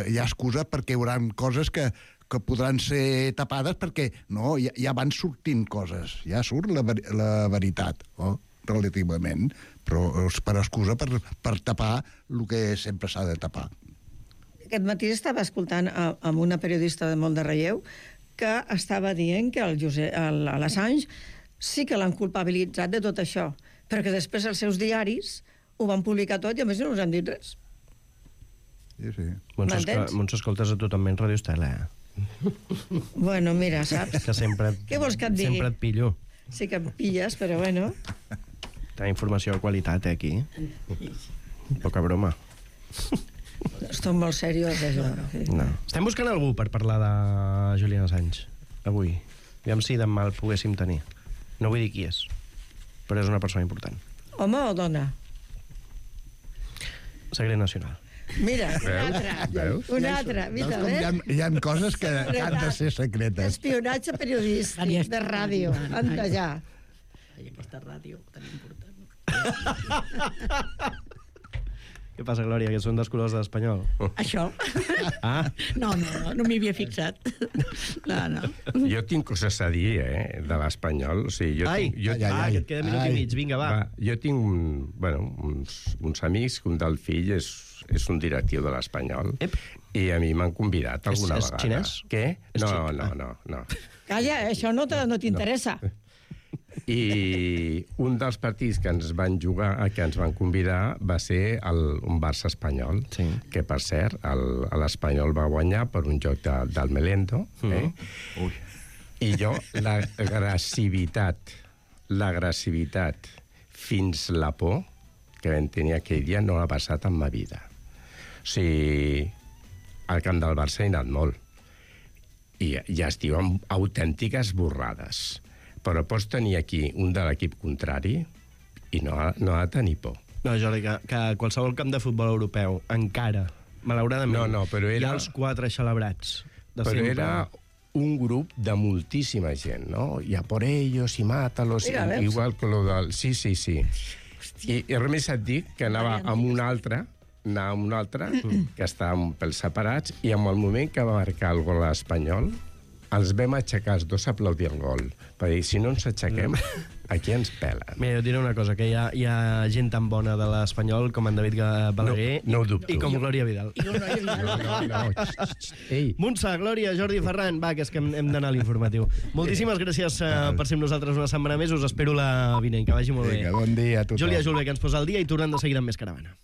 hi ha excusa perquè hi haurà coses que podran ser tapades perquè ja van sortint coses, ja surt la veritat, relativament, però és per excusa per tapar el que sempre s'ha de tapar. Aquest matí estava escoltant amb una periodista de molt de relleu que estava dient que l'Assange sí que l'han culpabilitzat de tot això, però que després els seus diaris ho van publicar tot i a més no us han dit res. Sí. Montse, escoltes a tu també en Ràdio Estel, Bueno, mira, saps? Que sempre... Què vols que et digui? Sempre et pillo. Sí que em pilles, però bueno... Tenim informació de qualitat, aquí. Poca broma. Estic molt seriós, això. No. Estem buscant algú per parlar de Julian Assange, avui. Aviam si demà el poguéssim tenir. No vull dir qui és, però és una persona important. Home o dona? Secret nacional. Mira, una altra. Mira, hi ha coses que han de ser secretes. Espionatge periodístic de ràdio. Anda ja. Aquesta ràdio tan important. Què passa, Glòria, que són dels colors de l'Espanyol? Això? No m'hi havia fixat. No. Jo tinc coses a dir, de l'Espanyol. O sigui, que et queda minut i mig. Vinga, va. Jo tinc uns amics, un del fill és un directiu de l'Espanyol, i a mi m'han convidat alguna vegada. És xinès? Què? No. Calla, això no t'interessa. I un dels partits que ens van jugar, que ens van convidar, va ser un Barça-Espanyol, que, per cert, l'Espanyol va guanyar per un joc del Melendo. I jo, l'agressivitat fins la por que vam tenir aquell dia no l'ha passat en ma vida. O sigui, al camp del Barça he anat molt. I ja es diuen autèntiques borrades. Però pots tenir aquí un de l'equip contrari i no ha de tenir por. No, Jordi, que qualsevol camp de futbol europeu, encara, malauradament, però hi ha els 4 celebrats. Però era un grup de moltíssima gent, no? I a por ellos, i mátalos, igual que lo del... Sí. I res més et dic que anava amb un altre, que estàvem pels separats, i en el moment que va marcar el gol espanyol, els vam aixecar els dos a aplaudir el gol. Per dir, si no ens aixequem, aquí ens pela. Mira, jo diré una cosa, que hi ha gent tan bona de l'Espanyol com en David Balaguer i com Glòria Vidal. Montse, Glòria, Jordi, Ferran, va, que és que hem d'anar a l'informatiu. Moltíssimes gràcies per ser amb nosaltres una setmana més. Us espero la vinent, que vagi molt bé. Bon dia a tothom. Júlia Julve, que ens posa al dia, i tornem de seguida amb més Caravana.